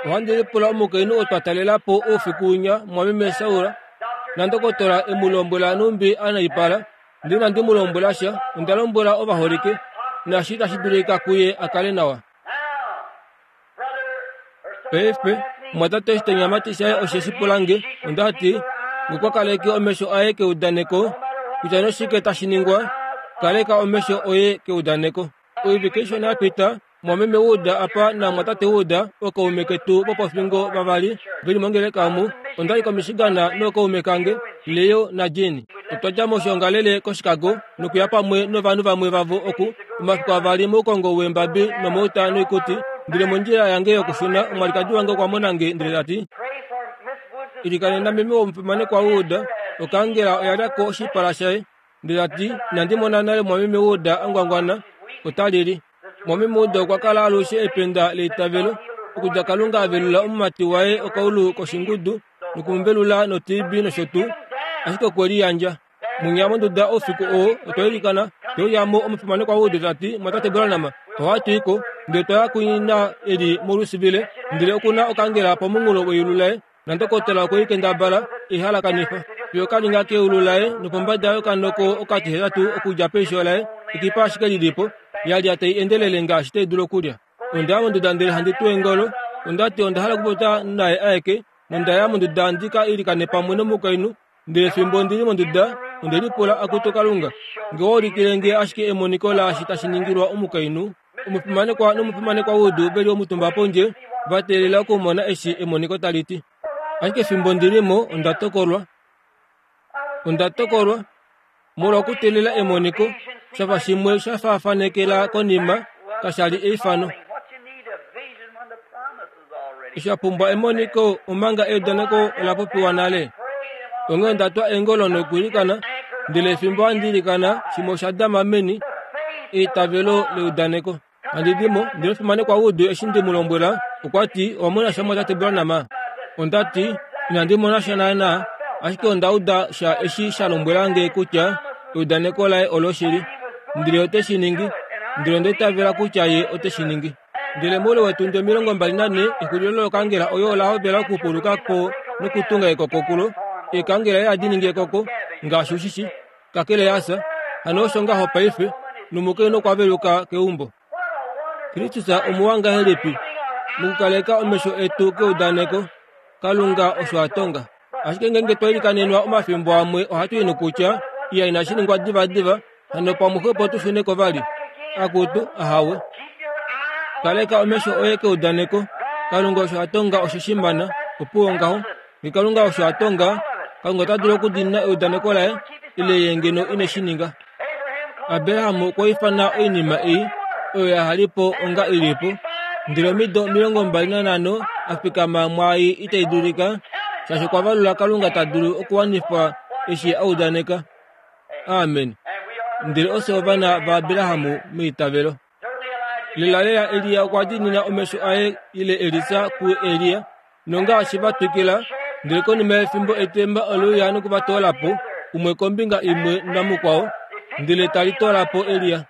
Ohandi lipula omukainhu oo twa talela po oufiku winya, mwameme Saula, nandokotola e mu lombwela nhumbi a naipala. Ndele inandi mu lombwela sha, onda lombwela ovaholike, naashi tashi dulika kuye a kale nawa. Paife, omumwatate oshitonyamatwi shaye oshe shi pula nge, onda ti, Ngokwa kaleke omesho aye keudaneko, kutya noshike tashi ningwa, kaleka omesho oye keudaneko. Oivike ishona ya pita, mwameme Wood apa namwatate Wood, ookaume ketu vopofingo vavali ve li mongeleka omu, onda li koMichigan nookaume kange, Leo naJean. Otwa dja moshoongalele koChicago nokuya pamwe novanhu vamwe vavo oku, omafiku avali moukongo weembabi nomouta noikuti. Ndele mondjila yange yokushuna, omwalikadi wange okwa mona nge ndele ta ti, Ilikanena meme womufimanekwa Wood, okaangela oya lya ko oshipala shaye. Ndele ta ti, Inandi mona nale mwameme Wood a ngwangwana. Ota lili. Mwameme Wood okwa kala alushe ependa leitavelo, okudja Kalunga a velula omumati waye okaulu koshingudu noku mu velula noTB nosho tuu, ashike okwe liyandja. Mwinya monduda oufiku oo, otwa ilikana, twe uya mo omufimanekwa Wood ta ti, Mwatate Branham, ohatu i ko. Ndele otwa ya kuina e li moLouisville, ndele oku na okangela pomunghulo weyulu laye. Nandokotola okwe i kendabala e i halakanifa fiyo ka ninga keulu laye nopombada yokanoko okatihetatu okudja peisho laye, ekipa ashike li li po, ya lya tai endelele ngaashi tai dulu okulya. Onda ya monduda ndele handi tu eengolo. Onda ti onda hala okupopya naye aeke, nonda ya monduda ndi ka ilikane pamwe nomukainhu. Ndele fimbo ndi li monduda, onde lipula, Akutu Kalunga, nge owa ulikile nge ashike emoniko laashi tashi ningilwa omukainhu, Omufimanekwa nomufimanekwa Wood ve li omutumba pondje, va teelela okumona eshi emoniko tali ti. Ashike fimbo ndi li mo, onda tokolwa. Onda tokolwa, molwa okuteelela emoniko, sha fa shimwe sha faafanekela konima, kasha li eifano. Osha pumbwa emoniko omanga eudaneko ola popiwa nale. Onghee onda twa eengolo nokwiilikana, ndele fimbo handi ilikana, shimwe osha dama meni, eitavelo leudaneko. Handi di mo, ndele omufimanekwa Wood eshi ndi mu lombwela, okwa ti, Owa mona sha mwatate Branham? Onda ti, Inandi mona sha naanaa, ashike onda uda sha eshi sha lombwela nge kutya eudaneko laye oloshili, ndele ote shi ningi, ndele onda itavela kutya ye ote shi ningi. Ndele moule wetundi 24, exulilo lokangela oyo ola hovela okupuluka ko nokutunga ekoko kulo. Eekangela ihadi ningi ekoko, ngaashi u shi shi, kakele ya fya. Hano osho ngaho paife, nomukainhu okwa veluka keumbo. Kristus omuwa ngahelipi mokukaleka omesho etu keudaneko! Kalunga osho a tonga. Ashike ngeenge twa ilikanenwa omafimbo amwe ohatu i nokutya, Iya inashi ningwa divadiva, hano pamwe xwepo tu shune ko vali. Akutu, ahawe. Kaleka omesho oye keudaneko. Kalunga osho a tonga oshe shi mana. Opuwo ngaho. Nge Kalunga osho a tonga, Kalunga ota dulu okudiinina eudaneko laye, ile ye ngeno ine shi ninga. Abraham okwa ifana oinima ei oyo ya hali po onga i li po. Ndele omido 25 a fikama mwaai itai dulika, shaashi okwa valula Kalunga ta dulu okuwanifa eshi a udaneka. Amen. Ndele ofye ovana vaAbraham meitavelo. Lelalela Elia okwa diinina omesho aye ile Elisa kuElia, nongaashi va twikila, ndele konima yefimbo etemba ole uya noku va toola po, umwe kombinga imwe namukwao, ndele tali toola po Elia.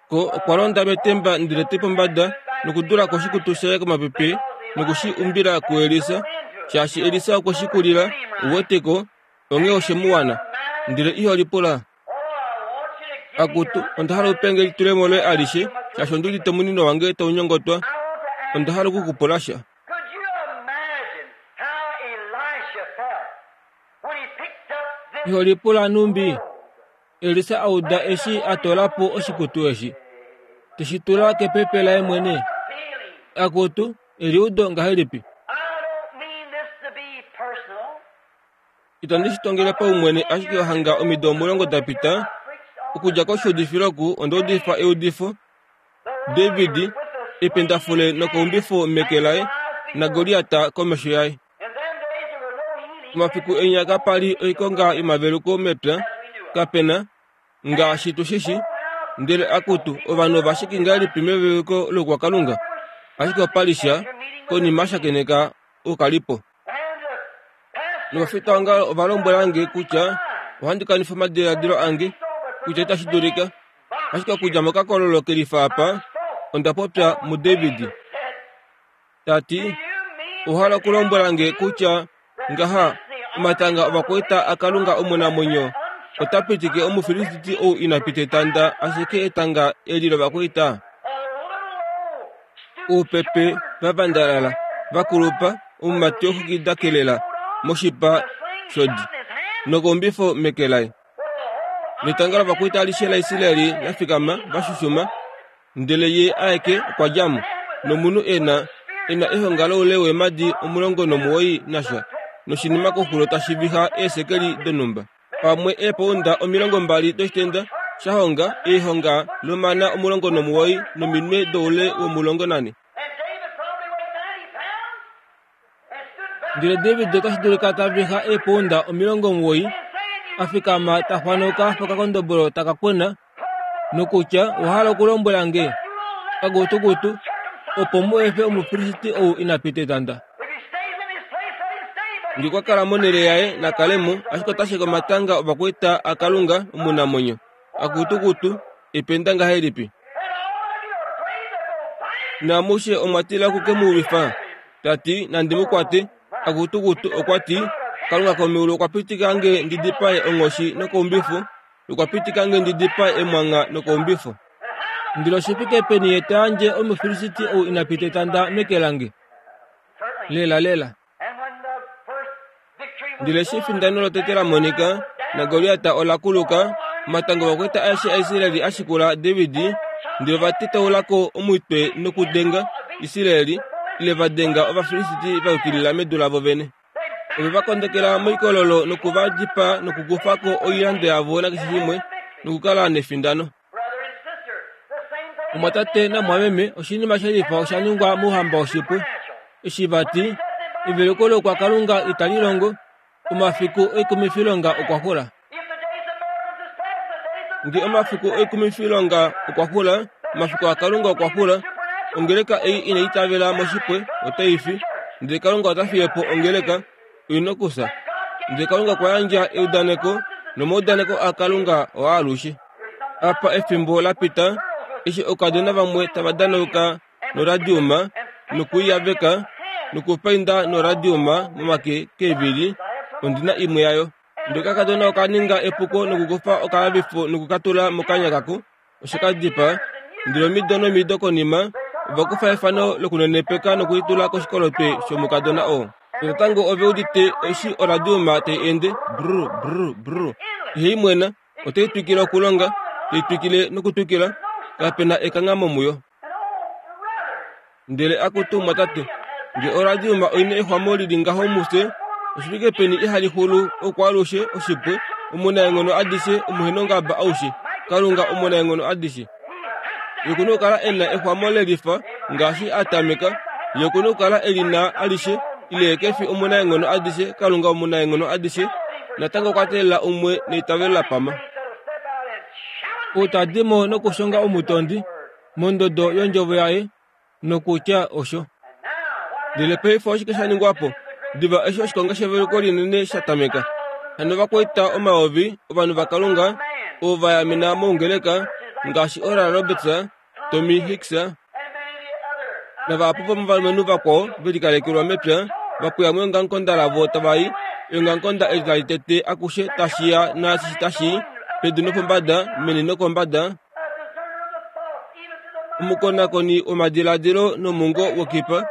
Ko okwa londa metemba ndele te pombada nokudula ko oshikutu shaye komapepe noku shi umbila kuElisa, shaashi Elisa okwe shi kulila, uwete ko, onghee oshe mu wana. Ndele iho lipula, Akutu, onda hala u pe nge elitulemo loye alishe, shaashi ondi udite omunino wange tau nyongotwa. Onda hala oku ku pula sha. Iho lipula nhumbi Elisa a uda eshi a toola po oshikutu eshi, te shi tula kepepe laye mwene? Akutu, eliudo ngahelipi! Itandi shi tongele paumwene ashike hanga omido 10 da pita, okudja koshuudifilo oku onda udifa eudifo, David, ependafule nokaumbifo meke laye, naGoliat komesho yaye. Omafiku enya kapa li oikonga yomaveluko mepya, kape na, ngaashi tu shi shi. Ndele akutu, ovanhu ova shiki ngahelipi meveluko loukwakalunga? Ashike opa li sha, konima a shakeneka oukalipo. Novafitaongalo ova lombwela nge kutya ohandi kanifa omadiladilo ange, kutya itashi dulika. Ashike okudja mokakololo ke lifa apa, onda popya muDavid. Ta ti, Owa hala okulombwela nge kutya ngaha omatanga ovakwaita aKalunga omunamwenyo ota pitike Omufilisti ou ina pita etanda ashike etanga eli lovakwaita? Oupepe va vandalala, va kulupa, omumati woxwiki kelela moshipa shodi, nokoumbifo meke laye. Netanga lovakwaita alishe laIsrael la fikama, va shushuma, ndele ye aeke okwa dja mo, nomunhu e na e na ehonga loule weemadi 19 nasha, noshinima koxulo tashi viha eesekeli donhumba. Pamwe eepounda 20 doshitenda sha honga eehonga lomana 19 nominwe doule wo14. Ndele David otashi dulika ta viha eepounda 90 a fikama ta xwanuka pokakondobolo taka kwena nokutya owa hala okulombwela nge kakutukutu opo mu efe Omufilisti ou ina pita etanda. Nge okwa kala monhele yaye na kale mo, ashike ota sheke omatanga ovakwaita aKalunga omunamwenyo. Akutukutu, ependa ngahelipi! Naamushe omwa tila oku ke mu lwifa, ta ti, Nandi mu kwate. Akutukutu okwa ti, Kalunga komeulu okwa pitika nge ndi dipae onghoshi nokaumbifu, nokwa pitika nge ndi dipae emwangha nokaumbifo. Ndele oshi fike peni ye ta yandje Omufilisti ou ina pita etanda meke lange? Lelalela. Ndele eshi efindano lotete la monika, naGoliat ola kuluka, omatanga ovakwaita aeshe aIsrael a shikula David, ndele ova tetaula ko omutwe nokudenga Israel, ile va denga Ovafilisti va yukilila medu lavo vene. Ove va kondekela moikololo noku va dipaa nokukufa ko oilando yavo nakeshe shimwe nokukala nefindano. Omwatate namwameme, oshinima she lifa osha ningwa mouhamba woshipwe. Eshi va ti, Eveluko loukwakalunga itali longo, omafiku oikumifilonga okwa xula. Nge omafiku oikumifilonga okwa xula, omafiku aKalunga okwa xula, ongeleka ei inai itavela moshipwe otai fi, ndele Kalunga ota fiye po ongeleka, oi nokufya. Ndele Kalunga okwa yandja eudaneko, nomaudaneko aKalunga oaalushe. Apa efimbo la pita, eshi oukadona vamwe tava danauka noradiuma nokuiyaveka nokupainda noradiuma momake keevili, ondi na imwe yayo. Ndele okakadona oka ninga epuko nokukufa okalavifo noku ka tula mokanya kako, oshe ka dipaa. Ndele omido nomido konima, ova kufa efano lokunenepeka nokulitula koshikolotwe shomukadona oo. Natango ove udite eshi oradiuma tai ende, brr, brr, brr. Ihai mwena, otai twikile okulonga, tai twikile nokutwikila, kape na ekanghamo muyo. Ndele akutu mwatate, nge oradiuma oi na exwamo li li ngaho mufye, Oshifike peni ihali xulu okwaalushe oshipwe, omunaenghono adishe, omuhenongaba aushe, Kalunga omunaenghono adishe. Ye oku na okukala e na exwamo lelifa ngaashi a tameka. Ye oku na okukala e li na alishe, ile ye ke fi omunaenghono adishe, Kalunga omunaenghono adishe. Natango okwa teelela umwe neitavelo la pama. Ou ta di mo nokushonga omutondi mondodo yondjovo yaye nokutya osho. Ndele paife oshike sha ningwa po? Diva eshi oshikonga sheveluko linene sha tameka, hano ovakwaita omayovi ovanhu vaKalunga ovo va yamena moungeleka ngaashi Oral Roberts, Tommy Hicks navahapu vomovalumenhu vakwao ve likalekelwa mepya va pweya meongamukonda lavo tava i eongamukonda eli tali tete akushe tashi ya naashi tashi i pedu nopombada meni nokombada Omukonakoni womadiladilo nomungo wokipa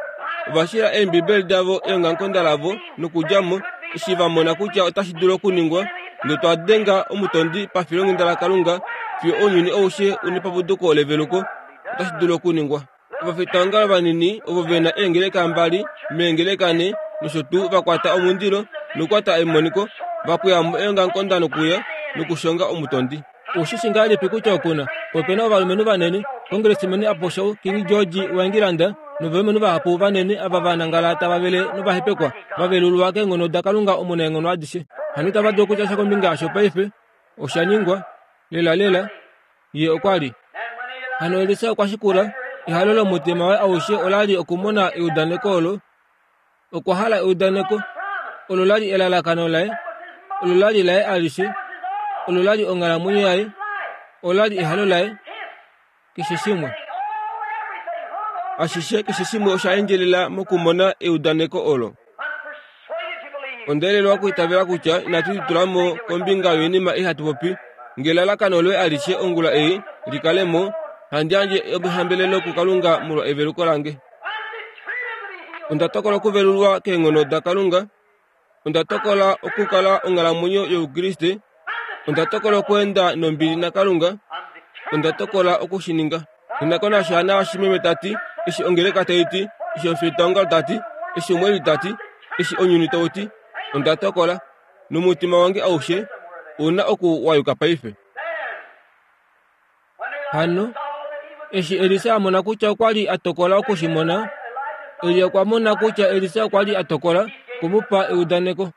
ova shila Eembibeli davo eongamukonda lavo nokudja mo eshi va mona kutya otashi dulu okuningwa notwa denga omutondi pafilonghenda laKalunga fiyo ounyuni aushe u nepapuduko leveluko. Otashi dulu okuningwa. Ovafitaongalo vanini ovo ve na eengeleka mbali meengeleka nhe nosho tuu va kwata omundilo nokukwata emoniko va pweya mo eongamukonda nokuya nokushonga omutondi. Oushi shi ngahelipi kutya oku na ope na ovalumenhu vanene, Congressman Apostle King George waEngilanda novalumenhu vahapu vanene ava va nangala tava vele novahepekwa, va velulwa keenghono daKalunga Omunaenghono adishe. Hano itava dulu okutya sha kombinga yasho paife. Osha ningwa. Lelalela, ye okwa li. Hano Elisa okwa shikula. Ehalo lomutima waye aushe ola li okumona eudaneko olo. Okwa hala eudaneko. Olo la li elalakano laye. Olo la li laye alishe. Olo la li onghalamwenyo yaye. Ola li ehalo laye. Keshe shimwe. Ashishe keshe shimwe osha endjelela mokumona eudaneko olo. Onda elelwa okuitavela kutya inatu litula mo kombinga yoinima ei hatu popi. Nge elalakano loye alishe ongula ei li kale mo, handi yandje ehambelelo kuKalunga molwa eveluko lange. Onda tokola okuvelulwa keenghono daKalunga. Onda tokola okukala onghalamwenyo yOukriste. Onda tokola okweenda nombili naKalunga. Onda tokola oku shi ninga. Nena konasha naashi meme ta ti, eshi ongeleka tai ti, eshi omufitaongalo ta ti, eshi omweeli ta ti, eshi ounyuni tau ti. Onda tokola, nomutima wange aushe ou na oku wa yuka paife. Hano, eshi Elisa a mona kutya okwa li a tokola oku shi mona, Elia okwa mona kutya Elisa okwa li a tokola oku mu pa eudaneko.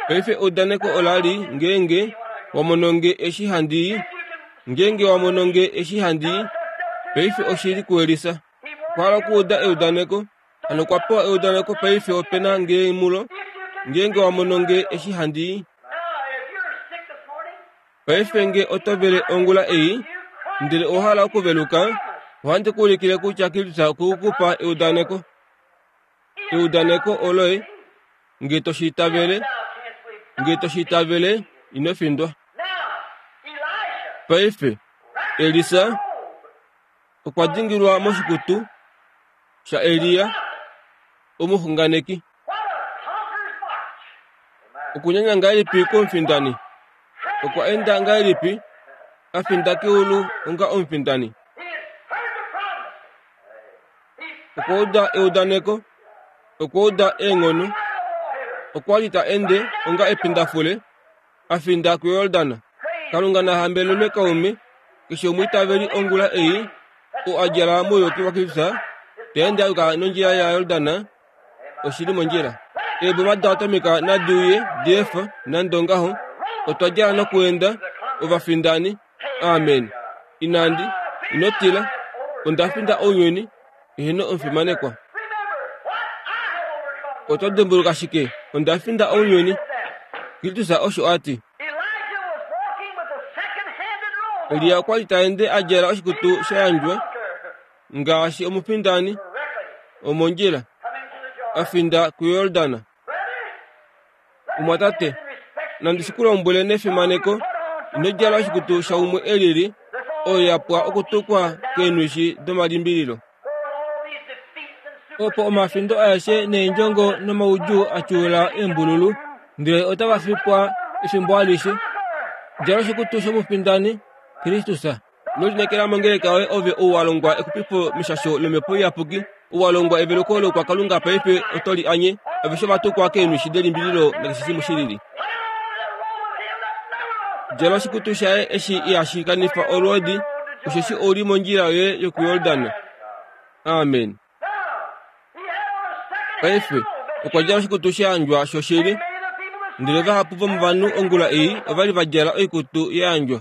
Paife eudaneko ola li, Ngeenge wa mono nge eshi handi i, ngeenge wa mono nge eshi handi i. Paife oshi li kuElisa. Okwa hala okuuda eudaneko. Hano okwa pewa eudaneko paife ope na nge mulo, Ngeenge wa mono nge eshi handi i. Paife nge oto vele ongula ei, ndele owa hala okuveluka, ohandi ku ulikile kutya Kristus okwe ku pa eudaneko. Eudaneko oloye, nge to shi itavele, nge to shi itavele, ino findwa. Paife, Elisa okwa dingilwa moshikutu shaElia, omuxunganeki. Okunyanya ngahelipi kwomufindani? Okwa enda ngahelipi a finda keulu onga omufindani? Okwa uda eudaneko, okwa uda eenghono, okwa li ta ende onga epindafule a finda kuJordan. Kalunga na hambelelwe kaume keshe omwiitaveli ongula ei, oo a djala mouyuki waKristus, ta ende a yuka nondjila yaJordan, oshi li mondjila. Eeboma daatomic nadi uye di efa, nande ongaho, otwa djala nokuenda, ovafindani. Amen. Inandi, ino tila. Onda finda ounyuni, eheno omufimanekwa. Oto dimbuluka shike? Onda finda ounyuni. Kristus osho a ti. Elia okwa li ta ende a djala oshikutu sha yandjwa ngaashi omufindani omondjila a finda kuJordan. Omwatate, nandi shi ku lombwele nefimaneko, ino djala oshikutu shaumwe e lili, oyo ya pwa okutukwa keenwishi domalimbililo. Opo omafindo aeshe neendjongo nomaudjuu a tyuula eembululu, ndele otava fipwa efimbo alishe. Djala oshikutu shomufindani, Kristus. Ino lineekela mongeleka yoye ove ou wa longwa exupifo meshasho lOmhepo Iyapuki, ou wa longwa eveluko loukwakalunga paife oto li anye. Aveshe ova tukwa keenwishi delimbililo nakeshe shimwe shi lili. Djala oshikutu shaye eshi ihashi kanifa olwoodi, osheshi ou li mondjila yoye yokuYordan. Amen. Paife, okwa djala oshikutu sha yandjwa shoshili. Ndele vahapu vomovanhu ongula ei ova li va djala oikutu ya yandjwa.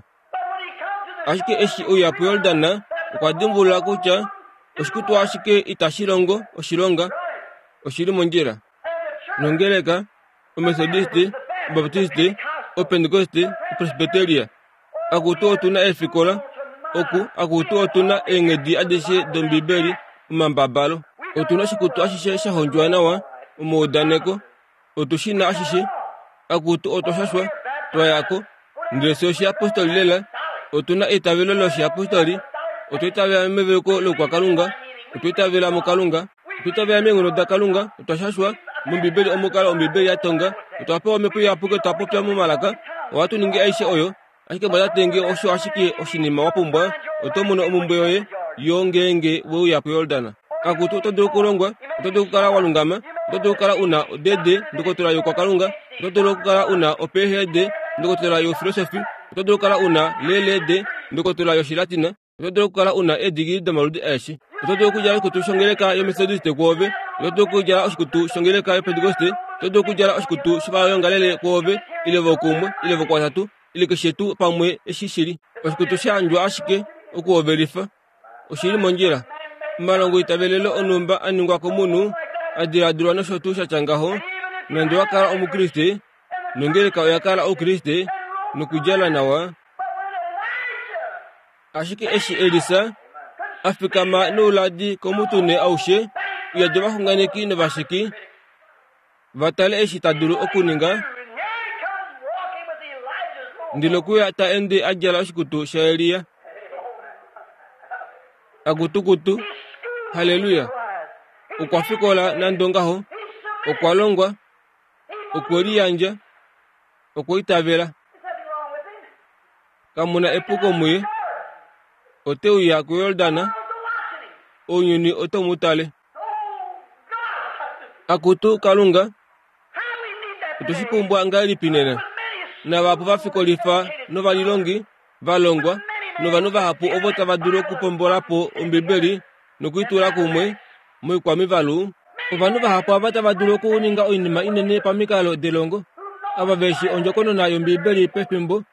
Ashike eshi uya puJordan, okwa dimbulula kutya oshikutu ashike itashi longo oshilonga, oshi li mondjila. Nongeleka, Omethodiste, Obaptiste, Opentekoste, Opresbyteria, akutu otu na eefikola, oku, akutu otu na eenghedi adishe dOmbibeli, omambabalo. Otu na oshikutu ashishe sha hondjwa nawa, omaudaneko, otu shi na ashishe. Akutu otwa shashwa, twa ya ko. Ndele fye oshiyapostoli lela, otu na eitavelo loshiyapostoli, otwa itavela meveluko loukwakalunga, otwa itavela muKalunga, otwa itavela meenghono daKalunga, otwa shashwa mOmbibeli omukalo Ombibeli ya tonga, otwa pewa Omhepo Iyapuki, otwa popya momalaka, ohatu ningi aishe oyo. Ashike mwatate nge osho ashike oshinima wa pumbwa, oto mono omumbwe yoye yo ngeenge we uya kuYordan. Akutu, oto dulu okulongwa, oto dulu okukala wa lungama, oto dulu okukala u na odede ndokotola youkwakalunga, oto dulu okukala u na oPhD ndokotola youfilosofi, oto dulu okukala u na LLD ndokotola yOshilatina, Oto dulu okukala u na eedigili domaludi aeshe. Oto dulu okudjala oshikutu shongeleka yoMethodiste kwoove. Oto dulu okudjala oshikutu shongeleka yoPentekoste. Oto dulu okudjala oshikutu shovayongalele kwoove, ile vokumwe, ile vokwatatu, ile keshe tuu pamwe eshi shi li. Oshikutu sha yandjwa ashike okuhovelifa. Oshi li mondjila. Omalongo eitavelelo onhumba a ningwa komunhu, a diladilwa nosho tuu sha tya ngaho, nande wa kala Omukriste, nongeleka oya kala Oukriste, nokudjala nawa, Ashike eshi Elisa a fikama nouladi komutune aushe uyadi ovaxunganeki novasheki va tale eshi ta dulu okuninga, ndele okuya ta ende a djala oshikutu shaElia. Akutukutu, Halleluya! Okwa fikola nande ongaho, okwa longwa, okwe liyandja, okwa itavela. Kamu na epuko muye. Ote uya kuJordan, ounyuni oto mu tale. Akutu Kalunga, otwe shi pumbwa ngahelipi nena? Navahapu va fikolifa novalilongi va longwa, novanhu vahapu ovo tava dulu okupombola po Ombibeli noku i tula kumwe moikwamivalu. Ovanhu vahapu ava tava dulu okuninga oinima inene pamikalo delongo, ava ve shi ondjokonona yOmbibeli pefimbo,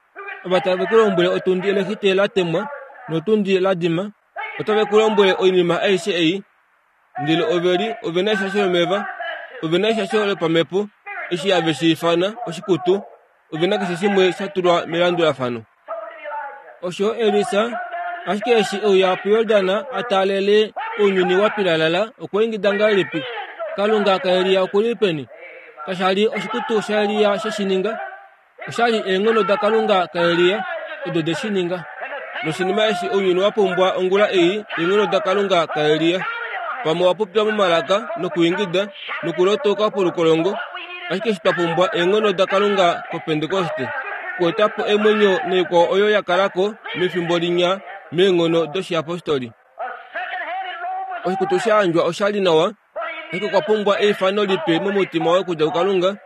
ava tave ku lombwele otundi elexite la temwa notundi la dima, otave ku lombwele oinima aishe ei, ndele ove li ove na eshasho lomeva, ove na eshasho lopamhepo, eshi have shi ifana oshikutu, ove na keshe shimwe sha tulwa melandulafano. Osho Elisa ashike eshi e uya puJordan a taalele ounyuni wa pilalala, okwa ingida ngahelipi, Kalunga kaElia oku li peni? Kasha li oshikutu shaElia she shi ninga, osha li eenghono daKalunga kaElia odo de shi ninga. Noshinima eshi ounyuni wa pumbwa ongula ei, eenghono daKalunga kaElia. Pamwe wa popya momalaka nokuingida nokulotoka polukolongo, ashike eshi twa pumbwa eenghono daKalunga kOpentekoste okueta po emwenyo noikwao oyo ya kala ko mefimbo linya meenghono doshiyapostoli. Oshikutu sha yandjwa osha li nawa, ashike okwa pumbwa eifano lipe momutima waye okudja kuKalunga.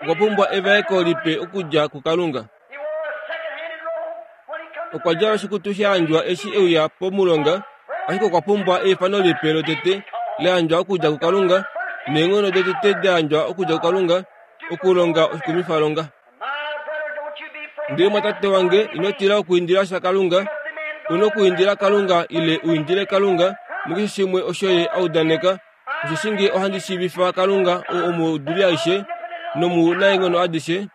Okwa pumbwa evaeko lipe okudja kuKalunga. Okwa djala oshikutu sha yandjwa eshi e uya pomulonga, ashike okwa pumbwa eifano lipe lotete la yandjwa okudja kuKalunga, neenghono dotete da yandjwa okudja kuKalunga okulonga oshikumifalonga. Ndele mwatate wange, ino tila okuindila sha Kalunga. U nokuindila Kalunga ile u indile Kalunga mukeshe shimwe osho Ye a udaneka. Osheshi nge ohandi shiivifa Kalunga oo omuuduli aishe nomunaenghono adishe,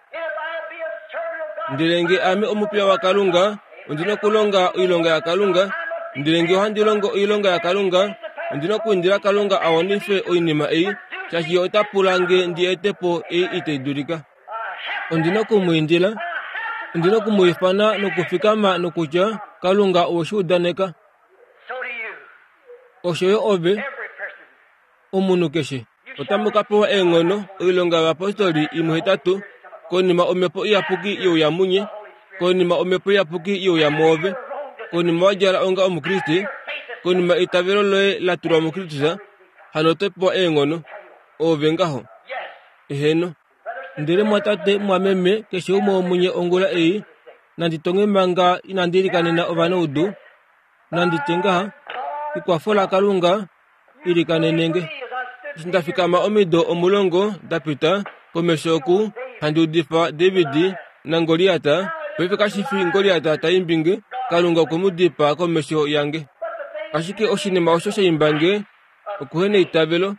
ndele nge ame omupiya waKalunga, ondi na okulonga oilonga yaKalunga, ndele nge ohandi longo oilonga yaKalunga, ondi na okuindila Kalunga a wanife oinima ei, shaashi Ye ota pula nge ndi ete po ei itai dulika. Ondi na oku mu indila, ondi na oku mu ifana nokufikama nokutya, Kalunga owe shi udaneka. Osho yo ove, omunhu keshe. Otamu ka pewa eenghono, Oilonga yOvayapostoli 1:8, konima Omhepo Iyapuki ye uya munye, konima Omhepo Iyapuki ye uya mwoove, konima wa djala onga Omukriste, konima eitavelo loye la tulwa muKristus, hano oto pewa eenghono. Oove ngaho. Eheno. Ndele mwatate, mwameme, keshe umwe womunye ongula ei, nandi tonge manga inandi ilikanena ovanaudu, nandi tye ngaha, Ekwafo laKalunga, ilikanene nge. Eshi nda fikama omido omulongo da pita, komesho oku, handi udifa David naGoliat, paife kashi fi Goliat ta imbi nge, Kalunga okwe mu dipaa komesho yange. Ashike oshinima osho sha imba nge, okuheneitavelo,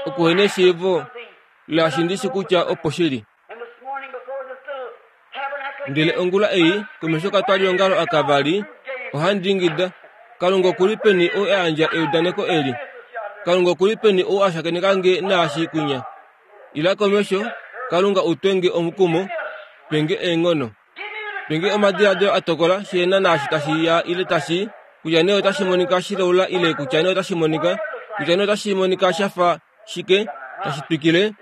okuheneshiivo laashi ndi shi kutya opo shi li. Ndele ongula ei, komesho katwaliongalo aka vali, ohandi ingida, Kalunga oku li peni ou a yandja eudaneko eli? Kalunga oku li peni ou a shakeneka nge naashi kwinya? Ila komesho, Kalunga u twe nge omukumo, pe nge eenghono. Pe nge omadiladilo a tokola shi na naashi tashi ya ile tashi, kutya nee otashi monika shilaula ile kutya nee otashi monika, kutya nee otashi monika sha fa shike, tashi twikile,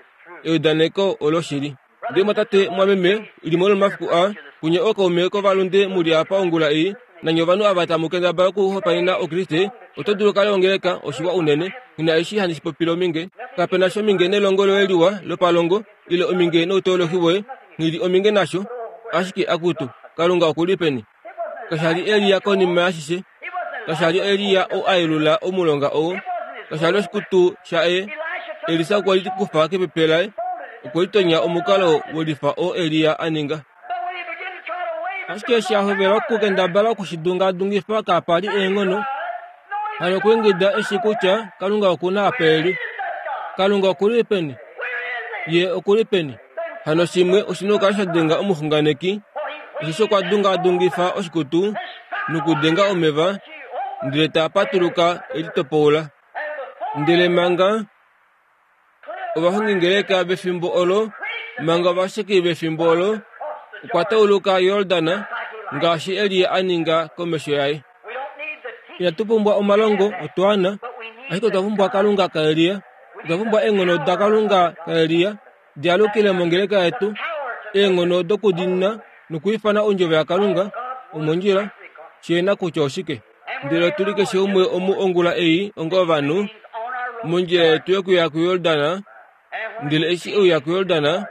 eudaneko oloshili. Ndele mwatate, mwameme, limwe lomomafiku aa, kunye ookaume kovalunde mu li apa ongula ei, nanye ovanhu ava tamu kendabala okuhopaenena Okriste, oto dulu kale ongeleka, oshiwa unene. Nghi na eshi handi shi popile ominge. Kape na shominge nelongo loye liwa lopalongo, ile ominge nouteolohi woye. Nghi li ominge nasho. Ashike, akutu, Kalunga oku li peni? Kasha li Elia konima yashishe. Kasha li Elia ou a yelula omulonga oo. Kasha li oshikutu shaye. Elisa okwe li kufa kepepe laye. Okwe litonya omukalo welifa oo Elia a ninga. Ashike eshi a hovela okukendabala oku shi dungaadungifa kapa li eenghono. Hano okwa ingida eshi kutya Kalunga oku na apa e li. Kalunga oku li peni? Ye oku li peni? Hano shimwe oshi na okukala sha denga omuxunganeki, osheshi okwa dungaadungifa oshikutu nokudenga omeva, ndele taa patuluka e litopoula. Ndele manga ovahongingeleka vefimbo olo, manga ovasheki vefimbo olo, okwa tauluka Yordan ngaashi Elia a ninga komesho yaye. Inatu pumbwa omalongo otwaana, ashike otwa pumbwa Kalunga kaElia. Otwa pumbwa eenghono daKalunga kaElia di alukile mongeleka yetu, eenghono dokudiinina nokwiifana ondjovo yaKalunga omondjila, shi na kutya oshike. Ndele otu li keshe umwe omu ongula ei onga ovanhu mondjila yetu yokuya kuJordan, ndele eshi e uya kuJordan,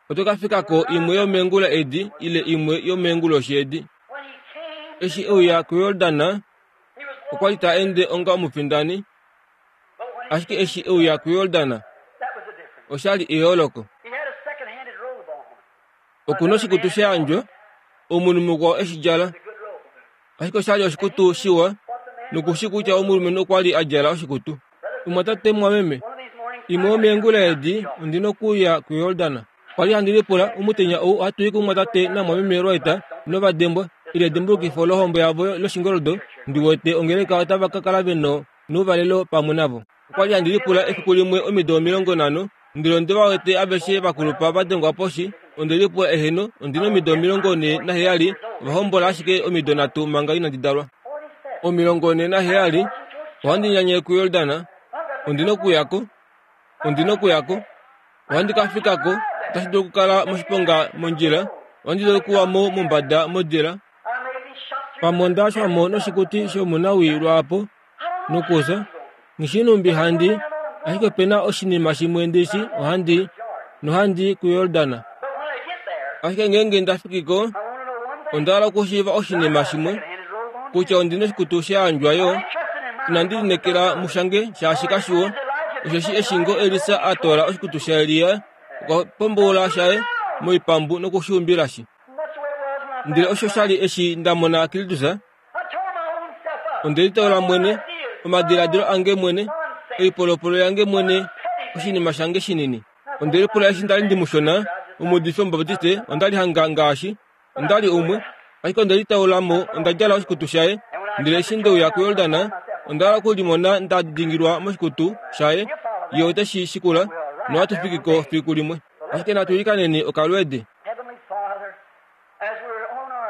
Oto ka fika ko imwe yomeengula edi ile imwe yomeenguloshi edi. Eshi e uya kuJordan, okwa li ta ende onga omufindani. Ashike eshi e uya kuJordan, osha li eyooloko. Oku na oshikutu sha yandjwa, omunhu mukwao e shi djala. Ashike osha li oshikutu shiwa, noku shi kutya omulumenhu okwa li a djala oshikutu. Omumwatate mumwameme, imwe yomeengula edi ondi na okuuya kuJordan. Okwa li handi lipula, omutenya ou ohatu i kumumwatate namumwameme Wright novadembwa, ile edimbulukifo lohombo yavo loshingoldo, ndi wete ongeleka otava ka kala ve nouvalelo pamwe navo. Okwa li handi lipula efiku limwe omido 50, ndele onde va wete aveshe va kulupa va dengwa poshi, onde lipula eheno, ondi na omido 47, ova hombola ashike omido nhatu manga inandi dalwa. 47, ohandi nyanye kuJordan, ondi na okuya ko, ondi na okuya ko, ohandi ka fika ko, otashi dulu okukala moshiponga mondjila, ohandi dulu okuwa mo mombada modila, pamwe onda xwa mo noshikuti shomunawii lwaapo, nokufya. Nghi numbi handi, ashike ope na oshinima shimwe ndi shi, ohandi, nohandi kuJordan. Ashike ngeenge nda fiki ko, onda hala okushiiva oshinima shimwe, kutya ondi noshikutu sha yandjwa yo. Inandi lineekela mushange shaashi kashiwo, osheshi eshi ngoo Elisa a toola oshikutu shaElia, okwa pomboula shaye moipambu noku shi umbilashi. Ndele osho sha li eshi nda mona Kristus, Onde litoola mwene, omadiladilo ange mwene, oipolopolo yange mwene, oshinima shange shinini. Onde lipula eshi nda li ndi mushona, omuudifi Omubaptiste, onda li hanga ngaashi onda li umwe, ashike onde litaula mo, onda djala oshikutu shaye. Ndele eshi nde uya kuJordan, onda hala okulimona nda dingilwa moshikutu shaye. Ye ote shi shikula, nohatu fiki ko fiku limwe. Ashike natu ilikaneni okalweedi.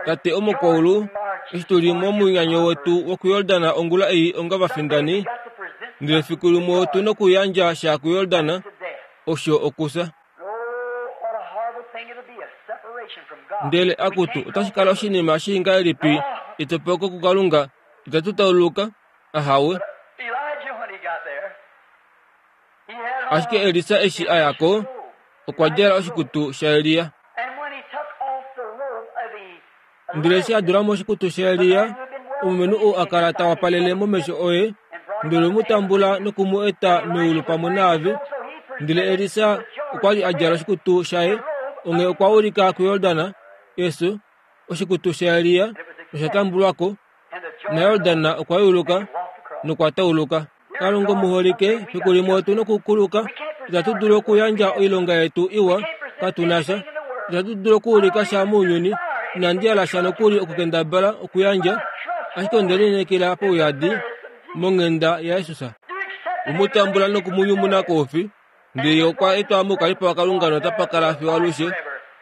Tate omukwaulu, eshi tu li momunyanyo wetu wokuJordan ongula ei onga vafindani, ndele fiku limwe otu nokuyandja sha kuJordan, osho okufya. Ndele akutu, otashi kala oshinima shii ngahelipi etopoko kuKalunga, itatu tauluka? Ahawe. Ashike Elisa eshi a ya ko, okwa djala oshikutu shaElia. Ndele eshi a dula mo oshikutu shaElia, omulumenhu ou a kala ta wapalele momesho oye, ndele mu tambula noku mu eta meulu pamwe naave. Ndele Elisa okwa li a djala oshikutu shaye, onghee okwa ulika kuJordan, efyo, oshikutu shaElia nosha tambulwa ko, naJordan okwa yuluka nokwa tauluka. Kalunga omuholike, fiku limwe otu nokukuluka. Itatu dulu okuyandja oilonga yetu iwa, katu na sha. Itatu dulu okuulika sha mounyuni. Inandi hala sha nokuli okukendabala okuyandja, ashike onde lineekela pauyadi monghenda yaJesus. Omu tambula noku mu nyumuna koufi, ndele ye okwa etwa moukalipo waKalunga notapa kala fiyo alushe.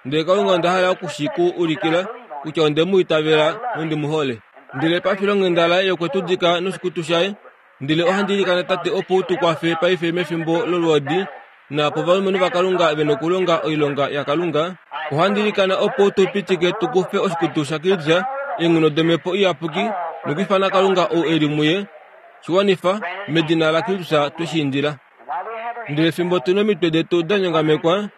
Ndele Kalunga onda hala oku shi ku ulikila kutya onde mu itavela nondi mu hole. Ndele pafilonghenda laye okwe tu dika noshikutu shaye. Ndele ohandi ilikana Tate opo u tu kwafe paife mefimbo lolwoodi, naapo ovalumenhu vaKalunga ve nokulonga oilonga yaKalunga. Ohandi ilikana opo u tu pitike tu kufe oshikutu shaKristus, eenghono dOmhepo Iyapuki, nokwiifana Kalunga ou e li muye. Shi wanifa, medina laKristus twe shi indila. Ndele fimbo tu nomitwe detu da nyongamekwa,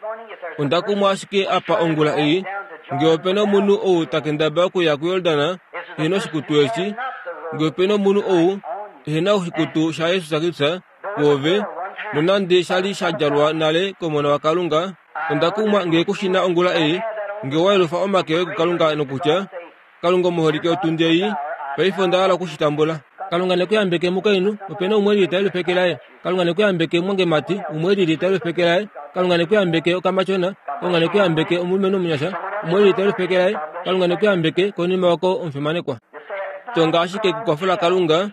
onda kumwa ashike apa ongula ei, nge ope na omunhu ou ta kendabala okuya kuJordan ehe na oshikutu eshi, nge ope na omunhu ou ehe na oshikutu shaJesus Kristus kwoove, nonande sha li sha djalwa nale kOmona waKalunga, onda kumwa nge ku shi na ongula ei, nge wa yelufa omake oye kuKalunga nokutya, Kalunga omuholike otundi ei, paife onda hala oku shi tambula. Kalunga ne ku yambeke mukainhu, ope na umwe e lili ta yelufa eke laye. Kalunga ne ku yambeke mwangemati, umwe e lili ta yelufa eke laye. Kalunga ne ku yambeke okamatyona. Kalunga ne ku yambeke omulumenhu omunyasha, umwe e lili ta yelufa eke laye. Kalunga ne ku yambeke konima oko omufimanekwa. Tonga ashike kekwafo laKalunga,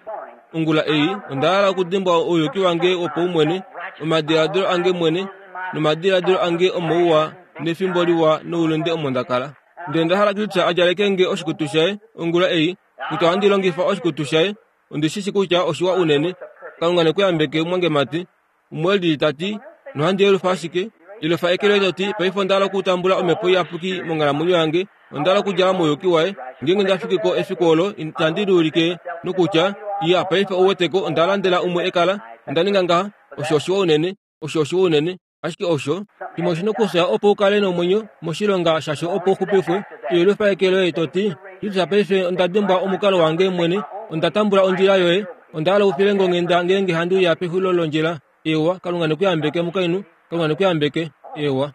ongula ei, onda hala okudimbwa ouyuki wange wopaumwene, omadiladilo ange mwene, nomadiladilo ange omouwa nefimbo liwa noulunde omo nda kala. Ndele onda hala Kristus a djaleke nge oshikutu shaye ongula ei, kutya ohandi longifa oshikutu shaye. Ondi shi shi kutya oshiwa unene. Kalunga ne ku yambeke, mwangemati. Umwe e lili ta ti, Nohandi yelufa ashike. Yelufa eke loye to ti, Paife onda hala okutambula Omhepo Iyapuki monghalamwenyo yange. Onda hala okudjala mouyuki waye. Ngeenge nda fiki ko efiku olo, itandi liulike nokutya, Iya, paife ou wete ko, onda landela umwe ekala. Onda ninga ngaha. Osho oshiwa unene. Osho oshiwa unene. Ashike osho shimwe oshi na okufya opo u kale nomwenyo moshilonga shasho opo u xupifwe. Yelufa eke loye to ti, Jesus paife onda dimbwa omukalo wange mwene, onda tambula ondjila yoye. Onda hala u file nge onghenda ngeenge handi uya pexulilo londjila. Eewa, Kalunga ne ku yambeke mukainhu. Kalunga ne ku yambeke. Eewa.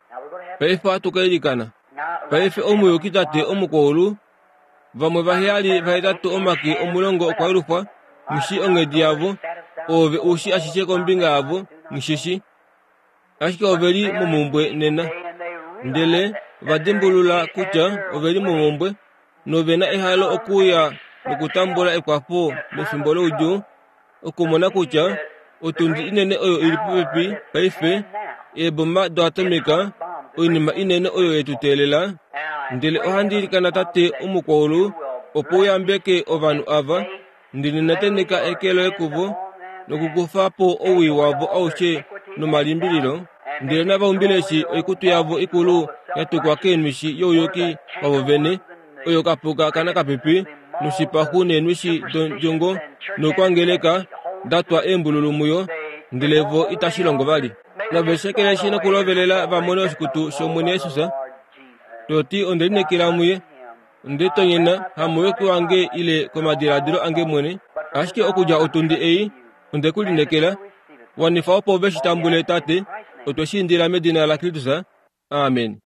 Paife ohatu ka ilikana. Paife omuyuki Tate omukwaulu, Vamwe vaheyali vahetatu omake omulongo okwa yelufwa, nghi onghedi yavo, oove u shi ashishe kombinga yavo, nghi shi shi. Ashike ove li momhumbwe nena. Ndele va dimbulula kutya ove li momhumbwe nove na ehalo okuuya nokutambula ekwafo mefimbo loudjuu, okumona kutya otundi inene oyo i li popepi paife, eeboma doatomika, oinima inene oyo ye tu teelela. Ndele ohandi ilikana Tate Omukwaulu opo u yambeke ovanhu ava, ndele nateneka eke loye kuvo nokukufa po owii wavo aushe nomalimbililo, ndele nava umbile eshi oikutu yavo ikulu ya tukwa keenwishi youyuki wavo vene, oyo kapuka kanakapipi noshipaxu neenwishi dondjongo noukwangeleka da twa eembululu muyo, ndele vo itashi longo vali. Nave shekeleshi nokulovelela va mone oshikutu shOmwene Jesus, to ti, Onde lineekela muye. Onde tonyena, hamouyuki wange ile komadiladilo ange mwene, ashike okudja otundi ei, onde ku lineekela. Wanifa opo ve shi tambule, Tate. Otwe shi indila medina laKristus. Amen.